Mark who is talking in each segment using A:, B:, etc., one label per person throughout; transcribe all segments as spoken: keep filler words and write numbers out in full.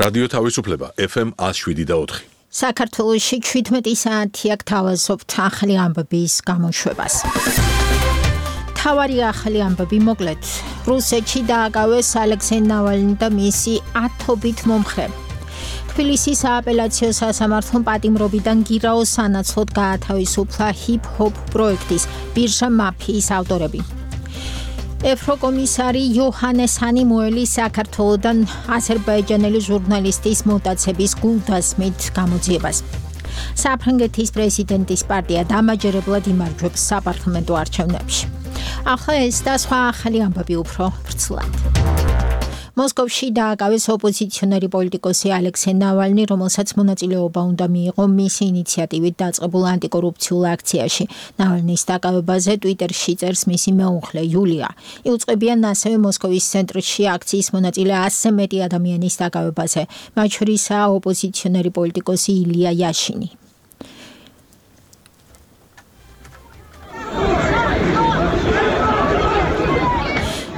A: რადიო თავისუფლება ეფ ემ one oh seven და four.
B: საქართველოში შვიდმეტი საათი აქ თავაზობთ ახალი ამბების გამოშვებას. თავარი ახალი ამბები მოკლედ. რუსეთში დააკავეს ალექსეი ნავალნი და მისი ათობით მომხრე. თბილისის სააპელაციო სასამართლომ პატიმრობიდან გირაოს სანაცვლოდ გაათავისუფლა ჰიპ-ჰოპ პროექტის ბირჟა მაფიის ავტორები. ევროკომისარი იოჰანეს ჰანიმუელი საქართველოდან აზერბაიჯანელი ჟურნალისტის მოტაცების გულდასმით გამოძიებას. საფრანგეთის პრეზიდენტის პარტია დამაჯერებლად იმარჯვებს საპარლამენტო არჩევნებში. ახლა ეს და სხვა ახალი ამბები უფრო ვრცლად. მოსკოვში დააკავეს ოპოზიციონერი პოლიტიკოსი ალექსეი ნავალნი, რომელსაც მონაწილეობა უნდა მიიღო მისი ინიციატივით დაწყებულ ანტიკორუფციულ აქციაში. ნავალნის დაკავებაზე ტვიტერში წერს მისი მეუღლე იულია. იუწყებიან ასევე მოსკოვის ცენტრში აქციის მონაწილე ასზე მეტი ადამიანის დაკავებაზე, მათ შორისაა ოპოზიციონერი პოლიტიკოსი ილია იაშინი.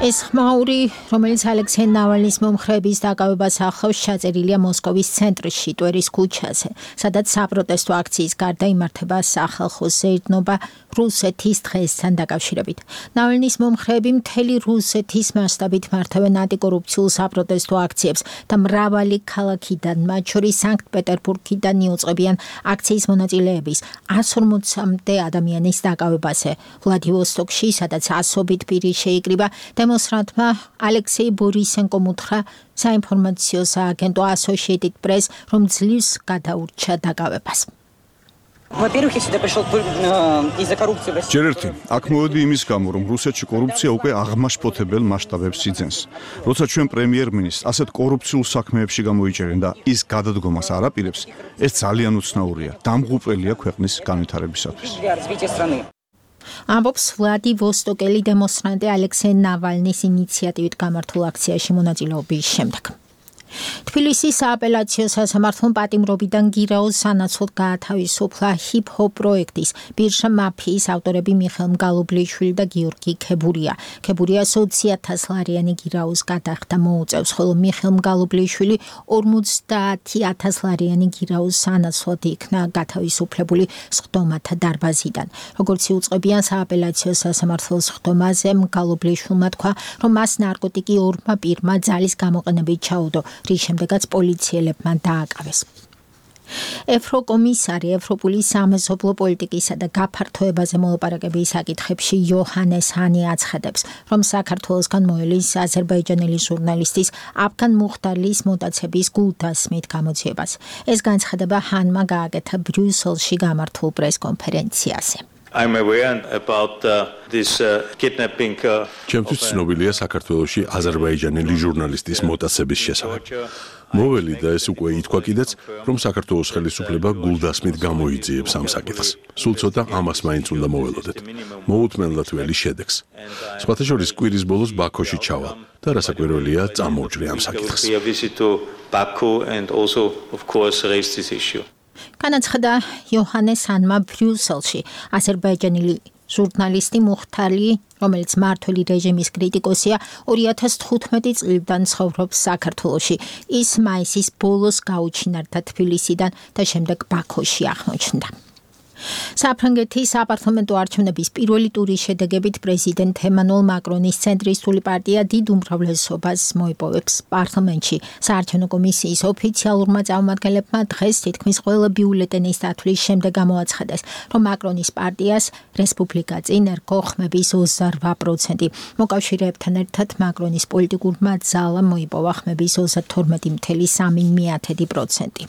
B: ეს ხმაური, რომელიც ალექსეი ნავალნის მომხრეების დაკავებას ახლავს, ჩაწერილია მოსკოვის ცენტრში, ტვერის ქუჩაზე, სადაც საპროტესტო აქციის გარდა იმართება სახალხო ზეირნობა რუსეთის დღესთან დაკავშირებით. ნავალნის მომხრეები მთელი რუსეთის მასშტაბით მართავენ ანტიკორუფციულ საპროტესტო აქციებს და მრავალი ქალაქიდან, მათ შორის სანქტ-პეტერბურგიდან იუწყებიან აქციის მონაწილეების one forty ადამიანის დაკავებაზე. ვლადივოსტოკში, სადაც ასობით პირი შეიკრიბა, დემონსტრანტმა ალექსეი ბორისენკომ უთხრა საინფორმაციო სააგენტო Associated Press, რომ ძლივს გადაურჩა დაკავებას.
C: Во-первых, я сюда пришел из-за коррупции.
D: ჯერ ერთი, აქ მოვედი იმის გამო, რომ რუსეთში კორუფცია უკვე აღმაშფოთებელ მასშტაბებს იძენს. როცა ჩვენ პრემიერ-მინისტრს ასეთ კორუფციულ საქმეებში გამოიჭერენ და ის გადადგომას არ აპირებს, ეს ძალიან უცნაურია, დამღუპველია ქვეყნის განვითარებისათვის.
B: ამბობს ვლადივოსტოკელი დემონსტრანტი ალექსეი ნავალნის ინიციატივით გამართულ აქციაში მონაწილეობის შემდეგ. თბილისის სააპელაციო სასამართლომ პატიმრობიდან გირაოს სანაცვლოდ გაათავისუფლა ჰიპ-ჰოპ პროექტის ბირჟა მაფიის ავტორები მიხეილ მგალობლიშვილი და გიორგი ქებურია. ქებურიას ოცი ათას ლარიანი გირაოს გადახდა მოუწევს, ხოლო მიხეილ მგალობლიშვილი ორმოცდაათი ათას ლარიანი გირაოს სანაცვლოდ იქნა გათავისუფლებული სხდომათა დარბაზიდან. როგორც იუწყებიან სააპელაციო სასამართლოს სხდომაზე, მგალობლიშვილმა თქვა, რომ მას ნარკოტიკი ორმა პირმა ძალის გამოყენებით ჩაუდო, რის შემდეგაც პოლიციელებმა დააკავეს. ევროკომისარი ევროპული სამეზობლო პოლიტიკისა და გაფართოებაზე მოლაპარაკების საკითხებში იოჰანეს ჰანი აცხადებს, რომ საქართველოსგან მოელის აზერბაიჯანელი ჟურნალისტის აფგან მუხტარლის მოტაცების გულდასმით გამოძიებას. ეს განცხადება ჰანმა გააკეთა ბრიუსელში გამართულ პრესკონფერენციაზე.
E: I'm aware about uh, this uh, kidnapping.
A: ჩემთვის ცნობილია საქართველოში აზერბაიჯანელი ჟურნალისტის მოტაცების შესახებ. მოველი და ეს უკვე ითქვა კიდეც, რომ საქართველოს ხელისუფლება გულდასმით გამოიძიებს ამ საკითხს. სულ ცოტა ამას მაინც უნდა მოველოდეთ. მოუთმენლად ველი შედეგს. სხვათა შორის კვირის ბოლოს ბაქოში ჩავალ და რასაკვირველია წამოვჭრე ამ საკითხს.
B: განაცხადა იოჰანეს ჰანმა ბრიუსელში აზერბაიჯანელი ჟურნალისტი მუხტალი, რომელიც მმართველი რეჟიმის კრიტიკოსია, ორი ათას თხუთმეტი წლიდან ცხოვრობს საქართველოში. ის მაისის ბოლოს გაუჩინარდა თბილისიდან და შემდეგ ბაქოში აღმოჩნდა. საფრანგეთის საპარლამენტო არჩევნების პირველი ტურის შედეგებით პრეზიდენტ ემანუელ მაკრონის ცენტრისტული პარტია დიდ უმრავლესობას მოიპოვებს პარლამენტში. საარჩევნო კომისიის ოფიციალურმა წარმომადგენლებმა დღეს თითქმის ყველა ბიულეტენის დათვლის შემდეგ გამოაცხადეს, რომ მაკრონის პარტიას რესპუბლიკა წინ ერგო ხმების ოცდარვა პროცენტი. მოკავშირეებთან ერთად მაკრონის პოლიტიკურმა ძალამ მოიპოვა ხმების ოცდათორმეტი целых სამი დесятых პროცენტი.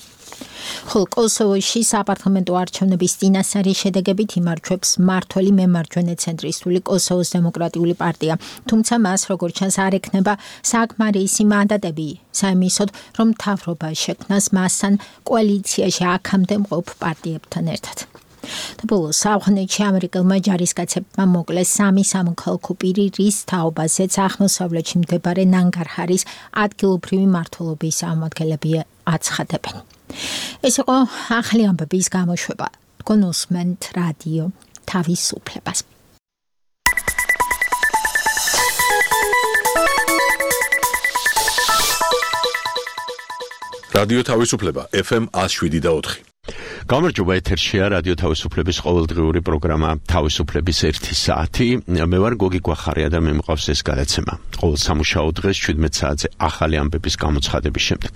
B: ხოლო კოსოვოში საპარლამენტო არჩევნების წინასწარი შედეგებით იმარჯვებს მმართველი მემარჯვენე ცენტრისტული კოსოვოს დემოკრატიული პარტია, თუმცა მას როგორც ჩანს არ ექნება საკმარისი მანდატები საიმისოდ, რომ მთავრობა შექმნას მასთან კოალიციაში აქამდე მყოფ პარტიებთან ერთად. და ბოლოს ავღანეთში ამერიკელმა ჯარისკაცებმა მოკლეს სამი სამოქალაქო პირი, რის თაობაზეც აღმოსავლეთში მდებარე ნანგარჰარის ადგილობრივი მმართველობის წარმომადგენლები აცხადებენ. ეს იყო ახალი ამბების გამოშვება. თქვენ უსმენთ რადიო თავისუფლებას.
A: რადიო თავისუფლება ეფ ემ one oh seven და four.
F: გამარჯობა, ეთერშია რადიო თავისუფლების ყოველდღიური პროგრამა თავისუფლების ერთი საათი. მე ვარ გოგი გვახარია და მე მყავს ეს გადაცემა. ყოველ სამუშაო დღეს შვიდმეტ საათზე ახალი ამბების გამოცხადების შემდეგ.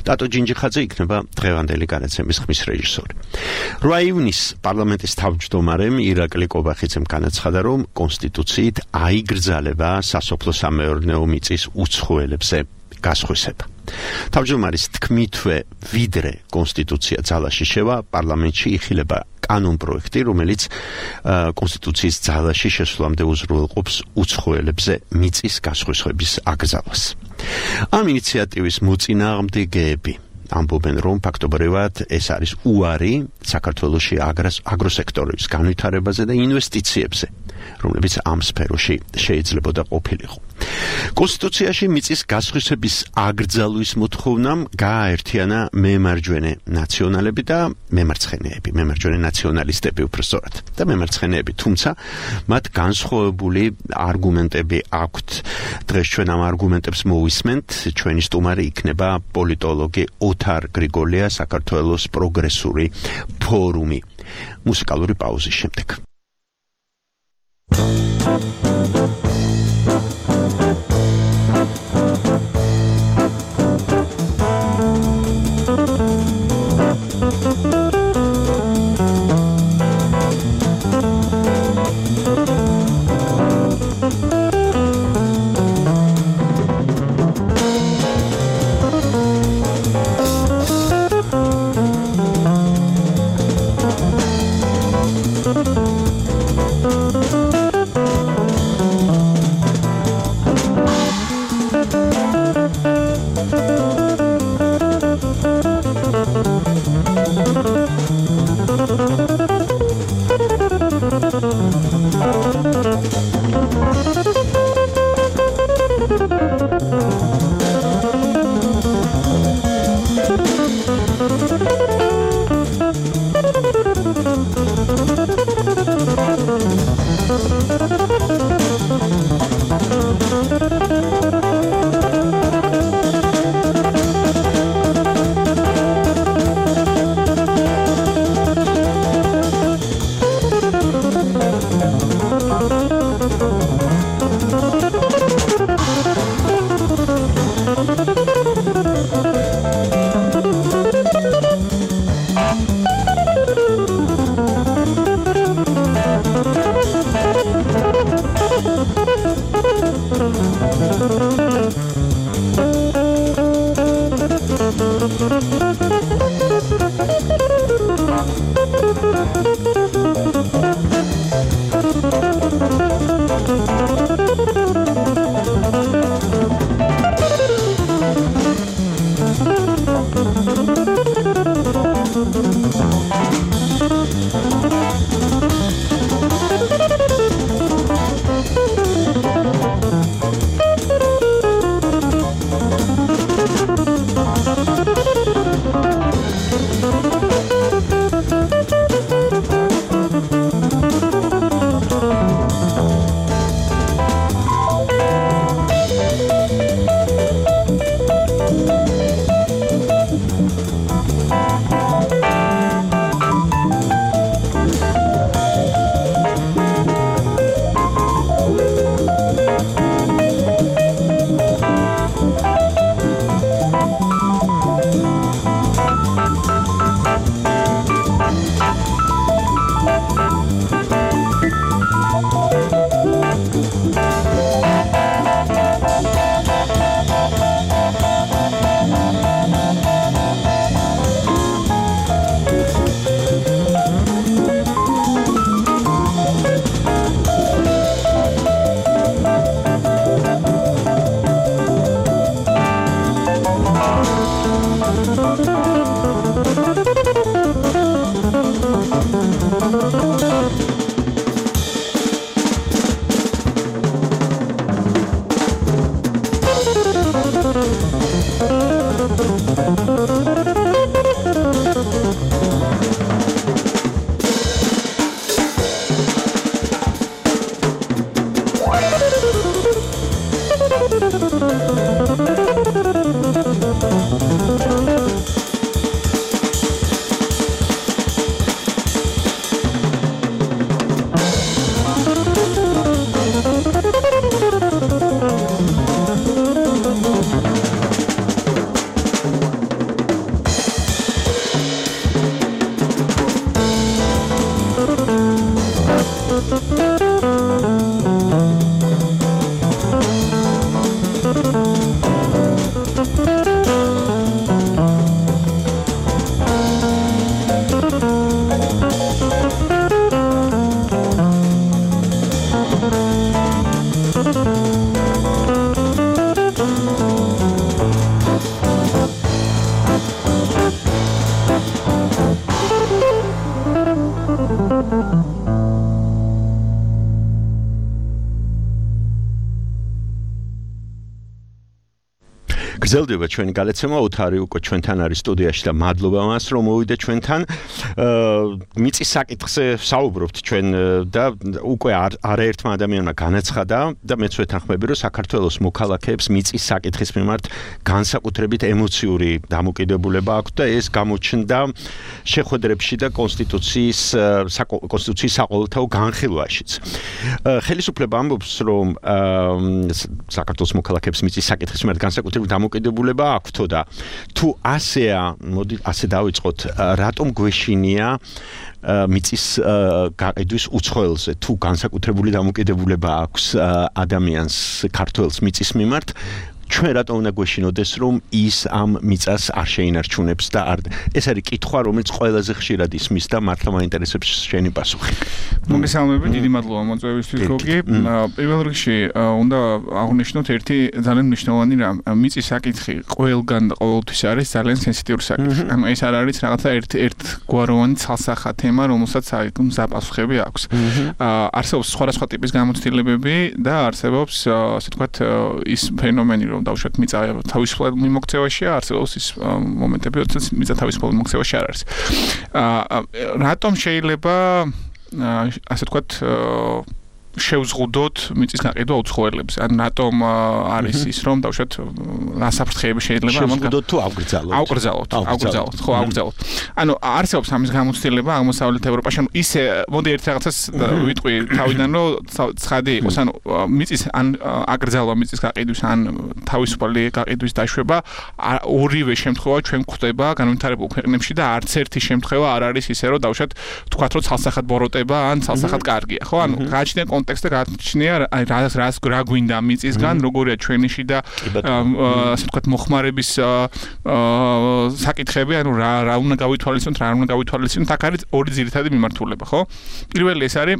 F: ტატო ჯინჯიხაძე იქნება დღევანდელი გადაცემის ხმის რეჟისორი. რვა ივნისს პარლამენტის თავმჯდომარემ ირაკლი კობახიძემ განაცხადა, რომ კონსტიტუციით აიგრძალება სასოფლო-სამეურნეო მიწის უცხოელებზე გასხვისება. თავმჯდომარის თქმითვე ვიდრე კონსტიტუცია ძალაში შევა, პარლამენტში იხილება კანონ პროექტი, რომელიც კონსტიტუციის ძალაში შესვლამდე უზრუნველყოფს უცხოელებზე მიწის გასხვისების აკრძალვას. ამ ინიციატივის მოწინააღმდეგეები ამბობენ, რომ ფაქტობრივად ეს არის უარი საქართველოში აგროსექტორის განვითარებაზე და ინვესტიციებზე, რომლებიც ამ სფეროში შეიძლებოდა ყოფილიყო. კონსტიტუციაში მიწის გასხვისების აკრძალვის მოთხოვნამ გააერთიანა მემარჯვენე ნაციონალები და მემარცხენეები, მემარჯვენე ნაციონალისტები უბრალოდ და მემარცხენეები, თუმცა მათ განსხვავებული არგუმენტები აქვთ. დღეს ჩვენ ამ არგუმენტებს მოვისმენთ, ჩვენი სტუმარი იქნება პოლიტოლოგი ოთარ გრიგოლია, საქართველოს პროგრესული ფორუმი. მუსიკალური პაუზის შემდეგ. გრძელდება ჩვენი გადაცემა, ოთარი უკვე ჩვენთან არის სტუდიაში და მადლობა მას, რომ მოვიდა ჩვენთან. მიწის საკითხზე საუბრობთ ჩვენ და უკვე არაერთმა ადამიანმა განაცხადა და მეც ვეთანხმები, რომ საქართველოს მოქალაქეებს მიწის საკითხის მიმართ განსაკუთრებით ემოციური დამოკიდებულება აქვთ და ეს გამოჩნდა შეხვედრებში და კონსტიტუციის კონსტიტუციის საყოველთაო განხილვაშიც. ხელისუფლება ამბობს, რომ საქართველოს მოქალაქეებს მიწის საკითხის მიმართ განსაკუთრებით დამოკიდებულება აქვთო და თუ ასეა, მოდი ასე დავიწყოთ, რატომ გვეშინია მიწის გაყიდვის უცხოელზე, თუ განსაკუთრებული დამოკიდებულება აქვს ადამიანს ქართველს მიწის მიმართ, ჩვენ რატომ უნდა გვეშინოდეს, რომ ის ამ მიწას არ შეინარჩუნებს და არ ეს არის კითხვა, რომელიც ყველაზე ხშირად ისმის და მართლა მაინტერესებს შენი პასუხი.
G: მოგესალმებით, დიდი მადლობა მოწვევისთვის გოგი. პირველ რიგში უნდა აღვნიშნოთ ერთი ძალიან მნიშვნელოვანი რამ. მიწის საკითხი ყველგან და ყოველთვის არის ძალიან სენსიტიური საკითხი. ანუ ეს არ არის რაღაცა ერთ ერთგვაროვანი ცალსახა თემა, რომელსაც ზაპასუხები აქვს. არსებობს სხვადასხვა ტიპის გამოცდილებები და არსებობს, ასე ვთქვათ, ის ფენომენი, რომ დავუშვათ მიწა თავისუფლად მიმოქცევაშია, არსებობს ის მომენტები, როდესაც მიწა თავისუფლად მიმოქცევაში არ არის. რატომ შეიძლება ასე ვთქვათ შევზღუდოთ მიწის გაყიდვა უცხოელებზე? ან რატომ არის ის, რომ დავუშვათ ასაფრთხეები შეიძლება ამან
F: შევზღუდოთ თუ ავგრძალოთ?
G: ავგრძალოთ, ავგრძალოთ, ხო, ავგრძალოთ. ანუ არსებობს ამის გამოცდილება აღმოსავლეთ ევროპაში, ანუ ისე მოდი ერთ რაღაცას ვიტყვი თავიდან, რომ ცხადი იყოს, ანუ მიწის ან აკრძალვა მიწის გაყიდვის ან თავისუფალი გაყიდვის დაშვება ორივე შემთხვევა ჩვენ გვხვდება განვითარებულ ქვეყნებში და არც ერთი შემთხვევა არ არის ისე, რომ დავუშვათ თქვათ, რომ ცალსახად ბოროტება ან ცალსახად კარგია, ხო? ანუ გააჩნია კონტექსტი გააჩნია აი რას რას რა გვინდა მიწისგან, როგორია ჩვენიში და ასე ვთქვათ მოხმარების საკითხები, ანუ რა რა უნდა გავითვალისწინოთ, რა უნდა გავითვალისწინოთ, აქ არის ორი ძირითადი მიმართულება, ხო? პირველი ეს არის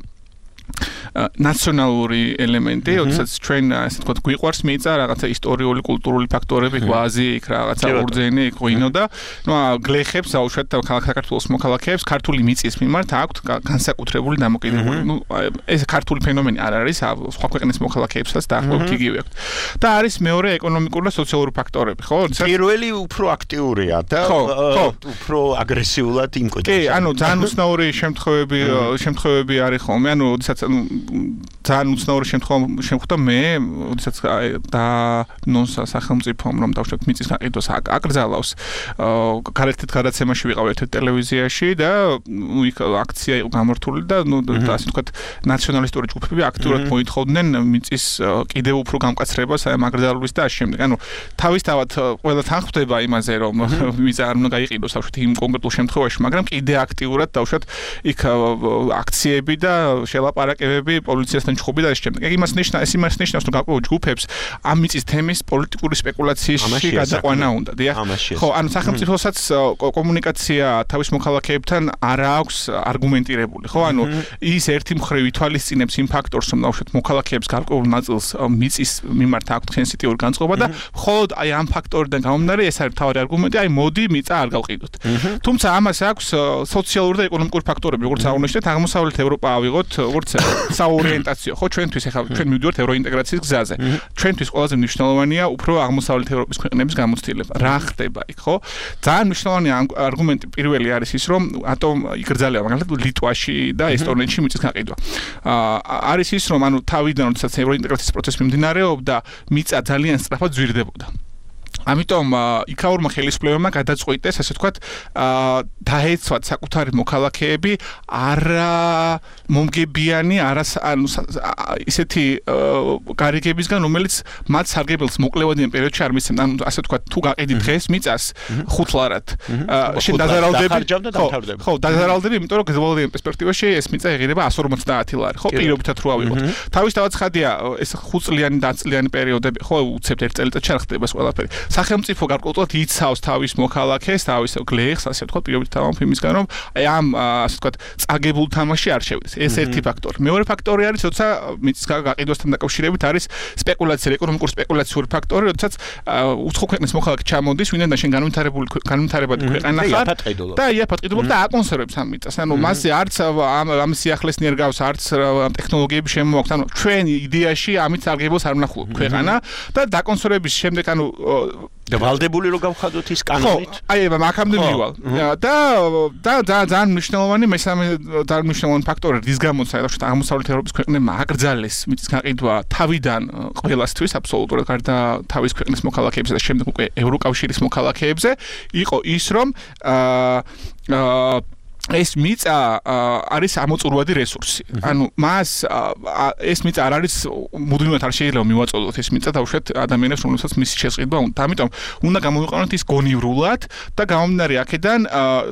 G: ნაციონალური ელემენტი, როდესაც ჩვენ ასე ვთქვათ გვიყვარს მიწა, რაღაცა ისტორიული, კულტურული ფაქტორები, გვაზი, იქ რაღაცა ურძენი, იქ ღვინო და ნუ გლეხებს, აუშვათ საქართველოს მოქალაქეებს ქართული მიწის მიმართ აქვთ განსაკუთრებული დამოკიდებულება. ნუ ეს ქართული ფენომენი არ არის, სხვა ქვეყნის მოქალაქეებსაც დაახლოებით იგივე აქვთ. და არის მეორე ეკონომიკური და სოციალური ფაქტორები, ხო?
F: პირველი უფრო აქტიურია და უფრო აგრესიულად იმკვიდრებს.
G: კი, ანუ ძალიან უცნაური შემთხვევები შემთხვევები არის ხოლმე, ანუ როდესაც ძალიან უცნაური შემთხვევა შემხვდა მე, როდესაც და ნონსა სახელმწიფომ რომ დავშვათ მიწის გაყიდვას აკრძალავს. გარეთით გადაცემაში ვიყავ ერთ ტელევიზიაში და იქ აქცია იყო გამართული და ნუ ასე ვთქვათ ნაციონალისტური ჯგუფები აქტიურად მოითხოვდნენ მიწის კიდევ უფრო გამკაცრებას აი ამ აკრძალვის და ამ შემდეგ. ანუ თავისთავად ყველა თან ხვდება იმაზე რომ მიწა არ უნდა გაიყიდოს დავშვათ იმ კონკრეტულ შემთხვევაში, მაგრამ კიდე აქტიურად დავშვათ იქ აქციები და შელაპარაკებები პოლიციასთან ჩხუბი და ამ შემდეგ. ეგ იმას ნიშნავს, ეს იმას ნიშნავს, რომ გაყო ჯგუფებს ამ მიწის თემის პოლიტიკური სპეკულაციაში გადაყვანა უნდა, დიახ. ხო, ანუ სახელმწიფოსაც კომუნიკაცია თავის მოქალაქეებთან არ აქვს არგუმენტირებული, ხო? ანუ ის ერთი მხრივ ითვალისწინებს იმ ფაქტორს, რომ ნახოთ მოქალაქეებს გარკვეულ ნაწილს მიწის მიმართ აქვთ სენსიტიური განწყობა და მხოლოდ აი ამ ფაქტორიდან გამომდინარე ეს არის თავი არგუმენტი, აი მოდი მიწა არ გავყიდოთ. თუმცა ამას აქვს სოციალური და ეკონომიკური ფაქტორები, როგორც აღნიშნეთ, აღმოსავლეთ ევროპა ავიღოთ, როგორც საორიენტაციო, ხო, ჩვენთვის ახლა ჩვენ მივდივართ ევროინტეგრაციის გზაზე. ჩვენთვის ყველაზე მნიშვნელოვანია უფრო აღმოსავლეთ ევროპის ქვეყნების გამოცდილება. რა ხდება იქ, ხო? ძალიან მნიშვნელოვანი არგუმენტი პირველი არის ის, რომ ატომ იგრძელება მაგალითად ლიტვაში და ესტონეთში მიწის გაყიდვა. არის ის, რომ ანუ თავიდან როდესაც ევროინტეგრაციის პროცესი მიმდინარეობდა, მიწა ძალიან სწრაფად ძვირდებოდა. ამიტომ იქაურმა ხელისუფლებებმა გადაწყვიტეს, ასე ვთქვათ, დაეცვათ საკუთარი მოქალაქეები არა მომგებიანი, არა ანუ ისეთი გარიგებისგან, რომელიც მათ სარგებელს მოკლევადიან პერიოდში არ მისცემ. ანუ ასე ვთქვათ, თუ გაყიდი დღეს მიწას ხუთლარად, შენ დაზარალდები, ხო, დაზარალდები, იმიტომ რომ გრძელვადიან პერსპექტივაში ეს მიწა ეღირება εκατს ორმოცდაათი ლარი, ხო, პირობითად რო ავიღოთ. თავისთავად ხადია ეს ხუთწლიანი და ათწლიანი პერიოდები, ხო, უცებთ ერთ წელიწადში არ ხდება ეს ყველაფერი. სახელმწიფო გარკვეულად იცავს თავის მოქალაქეს, თავის გლეხს, ასე ვთქვათ, პირობითად ამ იმისგან, რომ აი ამ ასე ვთქვათ, წაგებულ თამაში არ შევიდეს. ეს ერთი ფაქტორი. მეორე ფაქტორი არის, როცა მიწის გაყიდვასთან დაკავშირებით არის სპეკულაცია, ეკონომიკური სპეკულაციური ფაქტორი, როდესაც უცხო ქვეყნის მოქალაქე ჩამოდის, ვინაიდან შენ განვითარებული განვითარებადი ქვეყანა ხარ და იაფად ყიდულობ და აკონსერვებს ამ მიწას. ანუ მასზე არც ამ ამ სიახლეს ნერგავს, არც ტექნოლოგიები შემოაქვს. ანუ ჩვენ იდეაში ამით სარგებელს არ ვნახულობ ქვეყანა და დაკონსერვების შემდეგ ანუ
F: და ვალდებული რო გავხადოთ ის კანონით.
G: ხო, აი მაგამდე მივალ. და და ძალიან მნიშვნელოვანი მესამე ძალიან მნიშვნელოვანი ფაქტორი რის გამოც საერთოდ აღმოსავლეთ ევროპის ქვეყნებმა აკრძალეს მიწის გაყიდვა თავიდან ყველასთვის აბსოლუტურად გარდა თავის ქვეყნის მოქალაქეებზე და შემდეგ უკვე ევროკავშირის მოქალაქეებზე იყო ის რომ აა ეს მიწა არის ამოწურვადი რესურსი. ანუ მას ეს მიწა არ არის მუდმივად არ შეიძლება მივაწოდოთ ეს მიწა დაუშვათ ადამიანებს რომელსაც მისი შესყიდვა უნდა. ამიტომ უნდა გამოვიყენოთ ის გონივრულად და გამომდინარე აქედან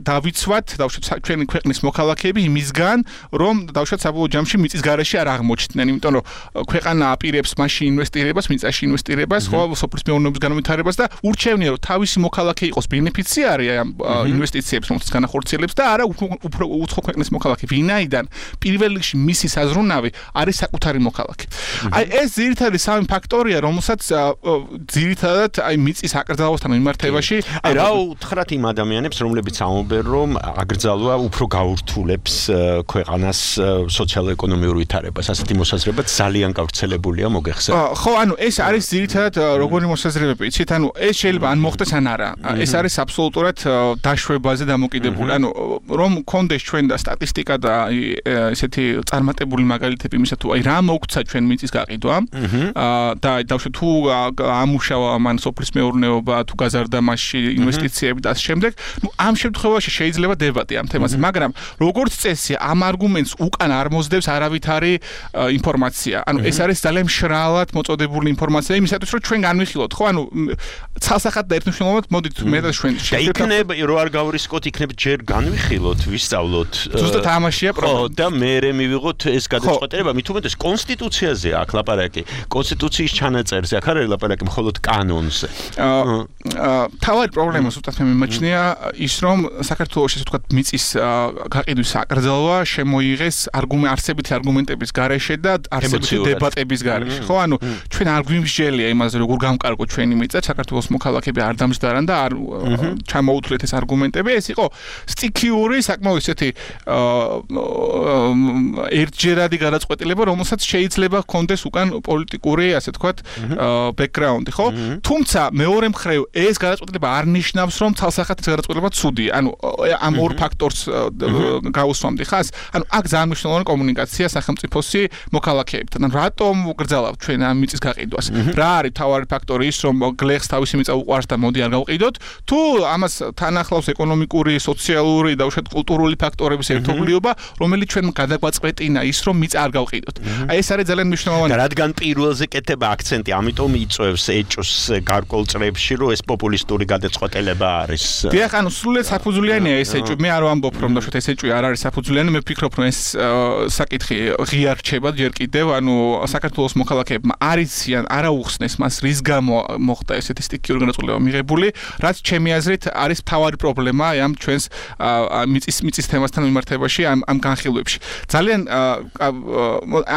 G: დავიცვათ დაუშვათ ჩვენი ქვეყნის მოქალაქეები იმისგან რომ დაუშვათ საბოლოო ჯამში მიწის გარეშე არ აღმოჩნდნენ. იმიტომ რომ ქვეყანა აპირებს მასში ინვესტირებას, მიწაში ინვესტირებას, ხო, სოფლის მეურნეობის განვითარებას და ურჩევნია რომ თავისი მოქალაქე იყოს ბენეფიციარი ამ ინვესტიციებს რომელსაც განახორციელებს და არა უფრო უცხო ქვეყნის მოქალაქე, ვინაიდან პირველ რიგში მისი საზრუნავი არის საკუთარი მოქალაქე. აი ეს ძირითადად სამი ფაქტორია, რომელსაც ძირითადად აი მიწის აკრძალვასთან მიმართებაში
F: აი რა უთხრათ იმ ადამიანებს, რომლებიც ამბობენ, რომ აკრძალვა უფრო გაურთულებს ქვეყანას სოციალურ-ეკონომიურ ვითარებას. ასეთი მოსაზრება ძალიან გავრცელებულია, მოგეხსენებათ.
G: ხო, ანუ ეს არის ძირითადად როგორი მოსაზრებები, იცით, ანუ ეს შეიძლება ან მოხდეს ან არა. ეს არის აბსოლუტურად დაშვებაზე დამოკიდებული. ანუ რომ კონდეს ჩვენ და სტატისტიკა და ესეთი წარმატებული მაგალითები იმისა თუ აი რა მოგცა ჩვენ მიწის გაყიდვა და დავშვა თუ ამუშავა მან სოფლის მეურნეობა თუ გაზარდა მასში ინვესტიციები და ამ შემდეგ ნუ ამ შემთხვევაში შეიძლება დებატი ამ თემაზე მაგრამ როგორც წესია ამ არგუმენტს უკან არ მოსდევს არავითარი ინფორმაცია ანუ ეს არის ძალიან მშრალად მოწოდებული ინფორმაცია იმისათვის რომ ჩვენ განვიხილოთ ხო ანუ ცალსახად და ერთმნიშვნელოვნად მოდით მე და ჩვენ
F: იქნება რო არ გავრისკოთ იქნება ჯერ განვიხილოთ ვისწავლოთ
G: ზუსტად ამაშია პრობლემა
F: და მე მივიღოთ ეს გადაწყვეტილება მით უმეტეს კონსტიტუციაზე აქ ლაპარაკი კონსტიტუციის ჩანაწერზე აქ არის ლაპარაკი მხოლოდ კანონზე
G: თავად პრობლემა ზუსტად მე მიმაჩნია ის რომ საქართველოს ესე ვთქვათ მიწის გაყიდვის აკრძალვა შემოიღეს არგუმენტ არსებითი არგუმენტების გარეშე და არსებითი დებატების გარეშე ხო ანუ ჩვენ არ გვიმსჯელია იმაზე როგორ გამკარგოთ ჩვენი მიწა საქართველოს მოქალაქეები არ დამჯდარან და არ ჩამოუთვლეთ ეს არგუმენტები ეს იყო სტიქიური საკმაოდ ესეთი ერთჯერადი გადაწყვეტილება რომელსაც შეიძლება ჰქონდეს უკან პოლიტიკური ასე ვთქვათ ბექგრაუნდი ხო თუმცა მეორე მხრივ ეს გადაწყვეტილება არ ნიშნავს რომ ცალსახად ეს გადაწყვეტილება ცუდია ანუ ამ ორ ფაქტორს გავუსვამდი ხას ანუ აქ ძალიან მნიშვნელოვანი კომუნიკაცია სახელმწიფოსი მოქალაქეებთან ანუ რატომ გრძალავთ ჩვენ ამ მიწის გაყიდვას რა არის თავარი ფაქტორი ის რომ გლეხს თავისი მიწა უყვარს და მოდი არ გავყიდოთ თუ ამას თან ახლავს ეკონომიკური სოციალური და უშუალოდ კულტურული ფაქტორების ერთობლიობა რომელიც ჩვენ გადაგვაწყვეტინა ის რომ მიწა არ გავყიდოთ აი ეს არის ძალიან მნიშვნელოვანი
F: რადგან პირველზე კეთება აქცენტი ამიტომ იწევს ეჭოს გარკვეულ წრეებში რომ ეს პოპულისტური გადაწყვეტილება არის
G: დიახ ანუ სრულიად საფუძვლიანია ეს ეჭვი მე არ ვამბობ რომ და ეს ეჭვი არ არის საფუძვლიანი მე ვფიქრობ რომ ეს საკითხი ღია რჩება ჯერ კიდევ ანუ საქართველოს მოქალაქეებმა არიციან არაუხსნეს მას რის გამო მოხდა ესეთი სტიქიური გადაწყვეტილება მიღებული რაც ჩემი აზრით არის მთავარი პრობლემა ამ ჩვენს მიწის მიწის თემასთან მიმართებაში ამ ამ განხილვებში ძალიან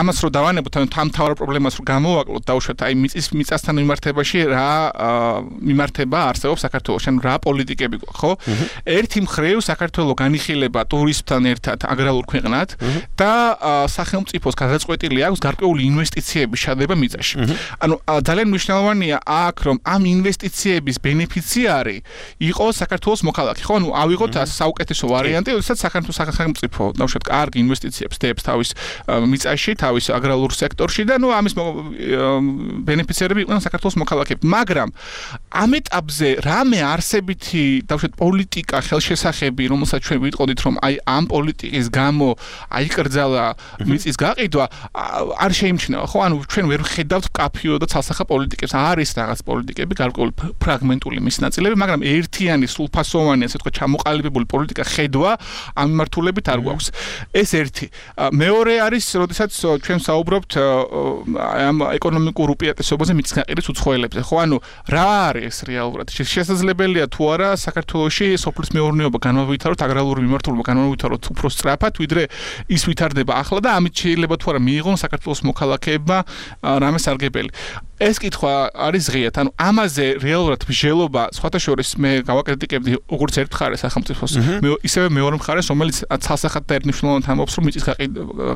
G: ამას რო დავანებოთ ანუ ამ მთავარ პრობლემას რო გამოვაკლოთ დაუშვათ აი მიწის მიწასთან მიმართებაში რა მიმართება არსებობს საქართველოში ანუ რა პოლიტიკები ხო ერთი მხრივ საქართველო განიხილება ტურიზმთან ერთად აგრარულ ქვეყნად და სახელმწიფოს გადაწყვეტილი აქვს გარკვეული ინვესტიციების შადება მიწაში ანუ ძალიან მნიშვნელოვანია აქ რომ ამ ინვესტიციების ბენეფიციარი იყოს საქართველოს მოქალაქე ხო ანუ ავიღოთ საუკეთესო ვარიანტი როდესაც საქართველოს სახელმწიფო დავუშვათ კარგი ინვესტიციებს დებს თავის მიწაში თავის აგრარულ სექტორში და ნუ ამის ბენეფიციარები იყვნენ საქართველოს მოქალაქეები მაგრამ ამ ეტაპზე რამე არსებითი დავუშვათ პოლიტიკა ხელშესახები რომელსაც ჩვენ ვიტყოდით რომ აი ამ პოლიტიკის გამო აიკრძალა მიწის გაყიდვა არ შეიმჩნევა ხო ანუ ჩვენ ვერ ვხედავთ კაფიო და ცალსახა პოლიტიკებს არის რაღაც პოლიტიკები გარკვეული ფრაგმენტული მის ნაწილები მაგრამ ერთიანი სრულფასოვანი ასე ვთქვათ ჩამოყალიბებული პოლიტიკა ხედვა ამ მიმართულებით არ გვაქვს ეს ერთი მეორე არის როდესაც ჩვენ საუბრობთ ამ ეკონომიკურ უპირატესობაზე მიწის გაყიდვის უცხოელებზე ხო ანუ რა არის რეალურად შესაძლებელია თუ არა საქართველოში სოფლის მეურნეობა განმავითაროთ აგრარული მიმართულება განმავითაროთ უფრო სწრაფად ვიდრე ის ვითარდება ახლა და ამით შეიძლება თუ არა მიიღონ საქართველოს მოქალაქეებმა რამე სარგებელი ეს კითხვა არის ღიად. ანუ ამაზე რეალურად მსჯელობა სხვათა შორის მე გავაკრიტიკებდი როგორც ერთ მხარეს სახელმწიფოს, მე ისევე მეორე მხარეს, რომელიც ცალსახად და ერთნიშნულოვნად ამბობს, რომ მიწის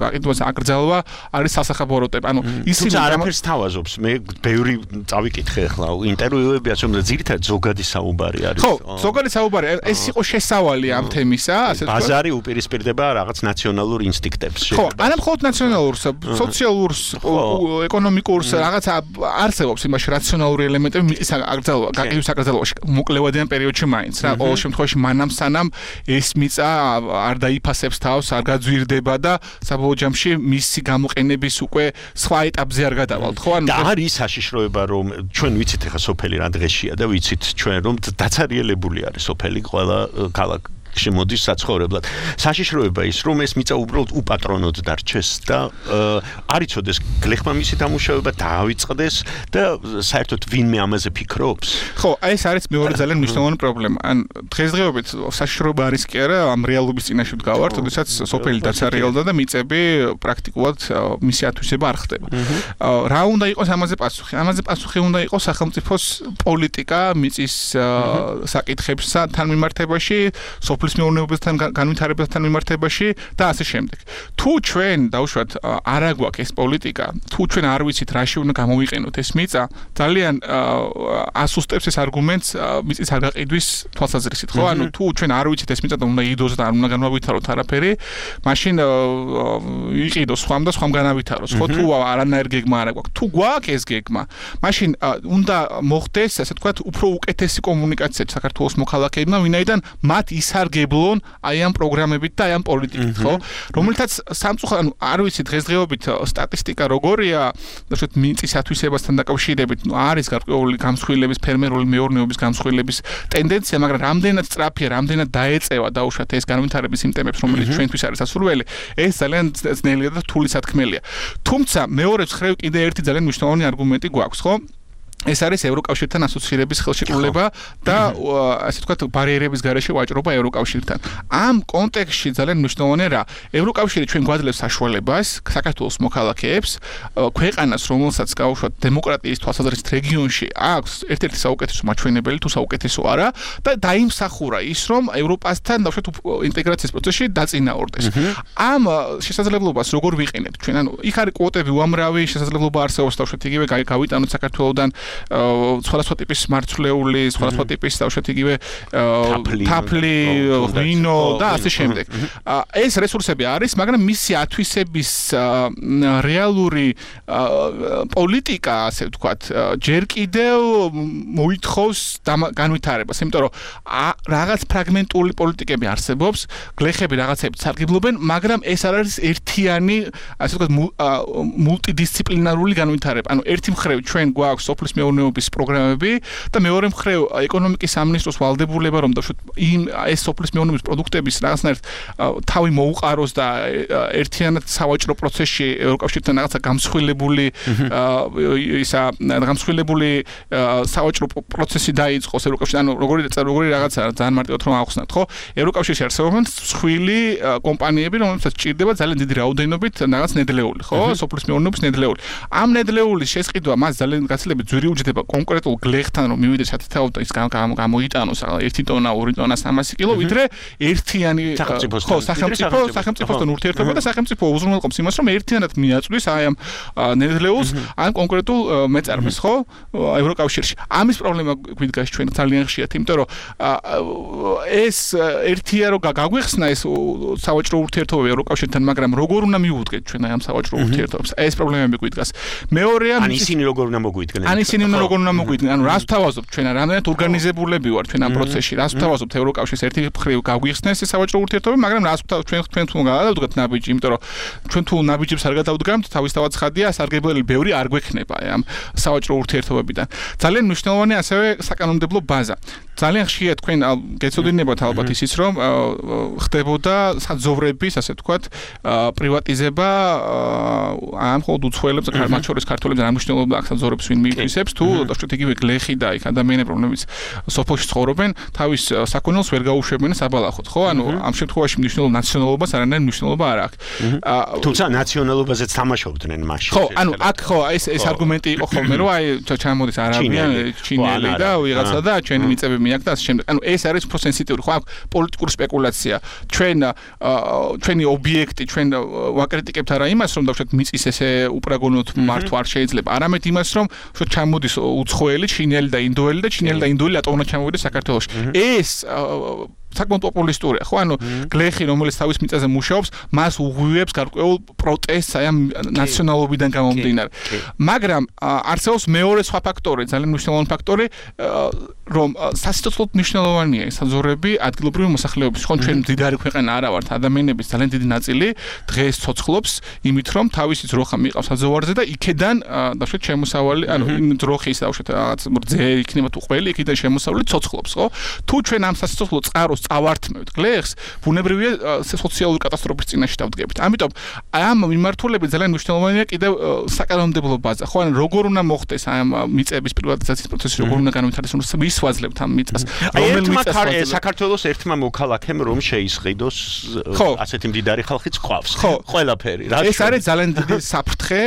G: გაყიდვაზე აკრძალვა არის სასახაბოროტება. ანუ
F: ისინი არაფერს თავაზობს. მე ბევრი წავიკითხე ახლა ინტერვიუებიაც, რომ ძირითადად ზოგადი საუბარი არის.
G: ხო, ზოგადი საუბარი. ეს იყო შესავალი ამ თემისა, ასე
F: ვთქვათ. ბაზარი უპირისპირდება რაღაც ნაციონალურ ინსტინქტებს.
G: ხო, არა მხოლოდ ნაციონალურს, სოციალურს, ეკონომიკურს, რაღაც არსებობს იმაში რაციონალური ელემენტები მიწის აკრძალვა, გაყიდვის აკრძალვაში მოკლევადიან პერიოდში მაინც რა. ყოველ შემთხვევაში მანამ სანამ ეს მიწა არ დაიფასებს თავს, არ გაძვირდება და საბოლოო ჯამში მისი გამოყენების უკვე სხვა ეტაპზე არ გადავალთ, ხო?
F: და არის საშიშროება, რომ ჩვენ ვიცით ახლა სოფელი რა დღეშია და ვიცით ჩვენ რომ დაცარიელებული არის სოფელი ყველა ქალაქ შემოდის საცხოვრებლად. საშიშროება ის, რომ ეს მიწა უბრალოდ უპატრონოდ დარჩეს და არ იცოდეს გლეხმა მისი დამუშავება დაავიწყდეს და საერთოდ ვინმე ამაზე ფიქრობს.
G: ხო, ეს არის მეორე ძალიან მნიშვნელოვანი პრობლემა. ან დღესდღეობით საშიშროება არის კი არა, ამ რეალობის წინაშე ვდგავართ, როდესაც სოფელი დაცარიელდა და მიწები პრაქტიკულად მისი ათვისება არ ხდება. რა უნდა იყოს ამაზე პასუხი? ამაზე პასუხი უნდა იყოს სახელმწიფოს პოლიტიკა მიწის საკითხებსა თან მიმართებაში, სოფლის მეურნეობასთან განვითარებასთან მიმართებაში და ასე შემდეგ. თუ ჩვენ დავუშვათ არ აგვაქვს ეს პოლიტიკა, თუ ჩვენ არ ვიცით რაში უნდა გამოვიყენოთ ეს მიწა, ძალიან ასუსტებს ეს არგუმენტს მიწის არ გაყიდვის თვალსაზრისით, ხო? ანუ თუ ჩვენ არ ვიცით ეს მიწა და უნდა იდოს და არ უნდა განავითაროთ არაფერი, მაშინ იყიდოს სხვამ და სხვამ განავითაროს, ხო? თუ არანაირ გეგმა არ აგვაქვს, თუ გვაქვს ეს გეგმა, მაშინ უნდა მოხდეს, ასე ვთქვათ, უფრო უკეთესი კომუნიკაცია საქართველოს მოქალაქეებმა, ვინაიდან მათ ისარგებლონ აი ამ პროგრამებით და აი ამ პოლიტიკით, ხო? რომელთაც სამწუხაროდ, ანუ არ ვიცი დღესდღეობით სტატისტიკა როგორია, დაახლოებით მიწის ათვისებასთან დაკავშირებით, ნუ არის გარკვეული გამსხვილების, ფერმერული მეურნეობის გამსხვილების ტენდენცია, მაგრამ რამდენად სწრაფია, რამდენად დაეწევა დაუშვათ ეს განვითარების იმ ტემპებს, რომელიც ჩვენთვის არის ასურველი, ეს ძალიან ძნელია და რთული სათქმელია. თუმცა მეორე მხრივ კიდე ერთი ძალიან მნიშვნელოვანი არგუმენტი გვაქვს, ხო? ეს არის ევროკავშირთან ასოცირების ხელშეკრულება და ასე ვთქვათ ბარიერების გარეშე ვაჭრობა ევროკავშირთან. ამ კონტექსტში ძალიან მნიშვნელოვანია რა. ევროკავშირი ჩვენ გვაძლევს საშუალებას საქართველოს მოქალაქეებს ქვეყანას, რომელსაც გავუშვათ დემოკრატიის თვალსაზრისით რეგიონში აქვს ერთ-ერთი საუკეთესო მაჩვენებელი თუ საუკეთესო არა და დაიმსახურა ის, რომ ევროპასთან დავუშვათ ინტეგრაციის პროცესში დაწინაურდეს. ამ შესაძლებლობას როგორ ვიყენებთ ჩვენ? ანუ იქ არის კვოტები უამრავი, შესაძლებლობა არსებობს დავუშვათ იგივე გავიტანოთ საქართველოსთან სხვადასხვა ტიპის მარცვლეული, სხვადასხვა ტიპის დავუშვათ იგივე თაფლი, ღვინო და ასე შემდეგ. ეს რესურსები არის, მაგრამ მისი ათვისების რეალური პოლიტიკა, ასე ვთქვათ, ჯერ კიდევ მოითხოვს განვითარებას, იმიტომ რომ რაღაც ფრაგმენტული პოლიტიკები არსებობს, გლეხები რაღაცებით სარგებლობენ, მაგრამ ეს არ არის ერთიანი, ასე ვთქვათ, მულტიდისციპლინარული განვითარება. ანუ ერთი მხრივ ჩვენ გვაქვს სოფლის მეურნეობის პროგრამები და მეორე მხრივ ეკონომიკის სამინისტროს ვალდებულება, რომ დავუშვათ იმ ეს სოფლის მეურნეობის პროდუქტების რაღაცნაირად თავი მოუყაროს და ერთიანად სავაჭრო პროცესში ევროკავშირთან რაღაცა გამსხვილებული ისა გამსხვილებული სავაჭრო პროცესი დაიწყოს ევროკავშირთან. ანუ როგორი როგორი რაღაცა ძალიან მარტივად რომ ავხსნათ, ხო? ევროკავშირში არსებობენ მსხვილი კომპანიები, რომლებსაც ჭირდება ძალიან დიდი რაოდენობით რაღაც ნედლეული, ხო? სოფლის მეურნეობის ნედლეული. ამ ნედლეულის შესყიდვა მას ძალიან გაცილებით ძვირი უჯდება კონკრეტულ გლეხთან, რომ მივიდეს ათეულობით და ის გამოიტანოს ერთი ტონა, ორი ტონა, სამასი კილო, ვიდრე ერთიანი ხო, სახელმწიფო, სახელმწიფოსთან ურთიერთობა და სახელმწიფო უზრუნველყოფს იმას, რომ ერთიანად მიაწვდის აი ამ ნედლეულს, ამ კონკრეტულ მეწარმეს, ხო, ევროკავშირში. ამის პრობლემა გვიდგას ჩვენ ძალიან ხშირად, იმიტომ რომ ეს ერთია რომ გაგვეხსნა ეს სავაჭრო ურთიერთობა ევროკავშირთან, მაგრამ როგორ უნდა მივუდგეთ ჩვენ აი ამ სავაჭრო ურთიერთობებს? ეს პრობლემები გვიდგას. მეორეა
F: ან ისინი როგორ უნდა მოგვიდგნენ?
G: ან ისინი როგორ უნდა მოგვიდგნენ? ანუ რას ვთავაზობთ ჩვენ? რამდენად ორგანიზებულები ვართ ჩვენ ამ პროცესში? რას ვთავაზობთ ევროკავშირის ერთი მხრივ გაგვიხსნეს ეს სავაჭრო ურთიერთობები, მაგრამ რას ჩვენ ჩვენ თუ გადავდგეთ ნაბიჯი, იმიტომ რომ ჩვენ თუ ნაბიჯებს არ გადავდგამთ, თავისთავად ცხადია, სარგებლელი ბევრი არ გვექნება ამ სავაჭრო ურთიერთობებიდან. ძალიან მნიშვნელოვანია ასევე საკანონმდებლო ბაზა. ძალიან ხშირად თქვენ გეცოდინებათ ალბათ ისიც, რომ ხდებოდა საძოვრების, ასე ვთქვათ, პრივატიზება ამ მხოლოდ უცხოელებს, მათ შორის ქართველებს არ მნიშვნელობა აქ საძოვრებს ვინ მიიწვისებს. მოსახლეებს თუ დაუშვათ იგივე გლეხი და იქ ადამიანები რომლებიც სოფელში ცხოვრობენ თავის საქონელს ვერ გაუშვებენ საბალახოდ ხო ანუ ამ შემთხვევაში მნიშვნელობა ნაციონალობას არანაირი მნიშვნელობა არ აქვს
F: თუმცა ნაციონალობაზეც თამაშობდნენ მაშინ
G: ხო ანუ აქ ხო ეს ეს არგუმენტი იყო ხოლმე რომ აი ჩამოდის არაბიან ჩინელი და ვიღაცა და ჩვენი მიწებები აქვს და ასე შემდეგ ანუ ეს არის უფრო სენსიტიური ხო აქ პოლიტიკური სპეკულაცია ჩვენ ჩვენი ობიექტი ჩვენ ვაკრიტიკებთ არა იმას რომ დავუშვათ მიწის ესე უპრაგონოდ მართვა არ შეიძლება არამედ იმას რომ უშუალოდ ჩამოდის უცხოელი ჩინელი და ინდოელი და ჩინელი და ინდოელი ატომად ჩამოვიდეს საქართველოში ეს საკმაოდ პოპულისტურია ხო ანუ გლეხი რომელიც თავის მიწაზე მუშაობს მას უღვივებს გარკვეულ პროტესტს აი ამ ნაციონალობიდან გამომდინარე მაგრამ არსებობს მეორე სხვა ფაქტორი ძალიან მნიშვნელოვანი ფაქტორი რომ სასიცოცხლოდ მნიშვნელოვანია ეს საზღვრები ადგილობრივი მოსახლეობის ხო ჩვენ მდიდარი ქვეყანა არა ვართ ადამიანების ძალიან დიდი ნაწილი დღეს ცოცხლობს იმით რომ თავისი ძროხა მიყავს საზღვარზე და იქედან დაუშვათ შემოსავალი ანუ იმ ძროხის დაუშვათ რაღაც რძე იქნება თუ ყველი იქიდან შემოსავალი ცოცხლობს ხო თუ ჩვენ ამ სასიცოცხლო წყაროს წავართმევთ გლეხს ბუნებრივია სოციალური კატასტროფის წინაშე დავდგებით ამიტომ ამ მიმართულებით ძალიან მნიშვნელოვანია კიდევ საკანონმდებლო ბაზა ხო ან როგორ უნდა მოხდეს ამ მიწების პრივატიზაციის პროცესი როგორ უნდა განვითარდეს რომ მისვაძლებთ ამ მიწას
F: რომელ მიწას საქართველოს ერთმა მოქალაქემ რომ შეისყიდოს ასეთი მდიდარი ხალხიც ყავს ყველაფერი რა
G: ეს არის ძალიან დიდი საფრთხე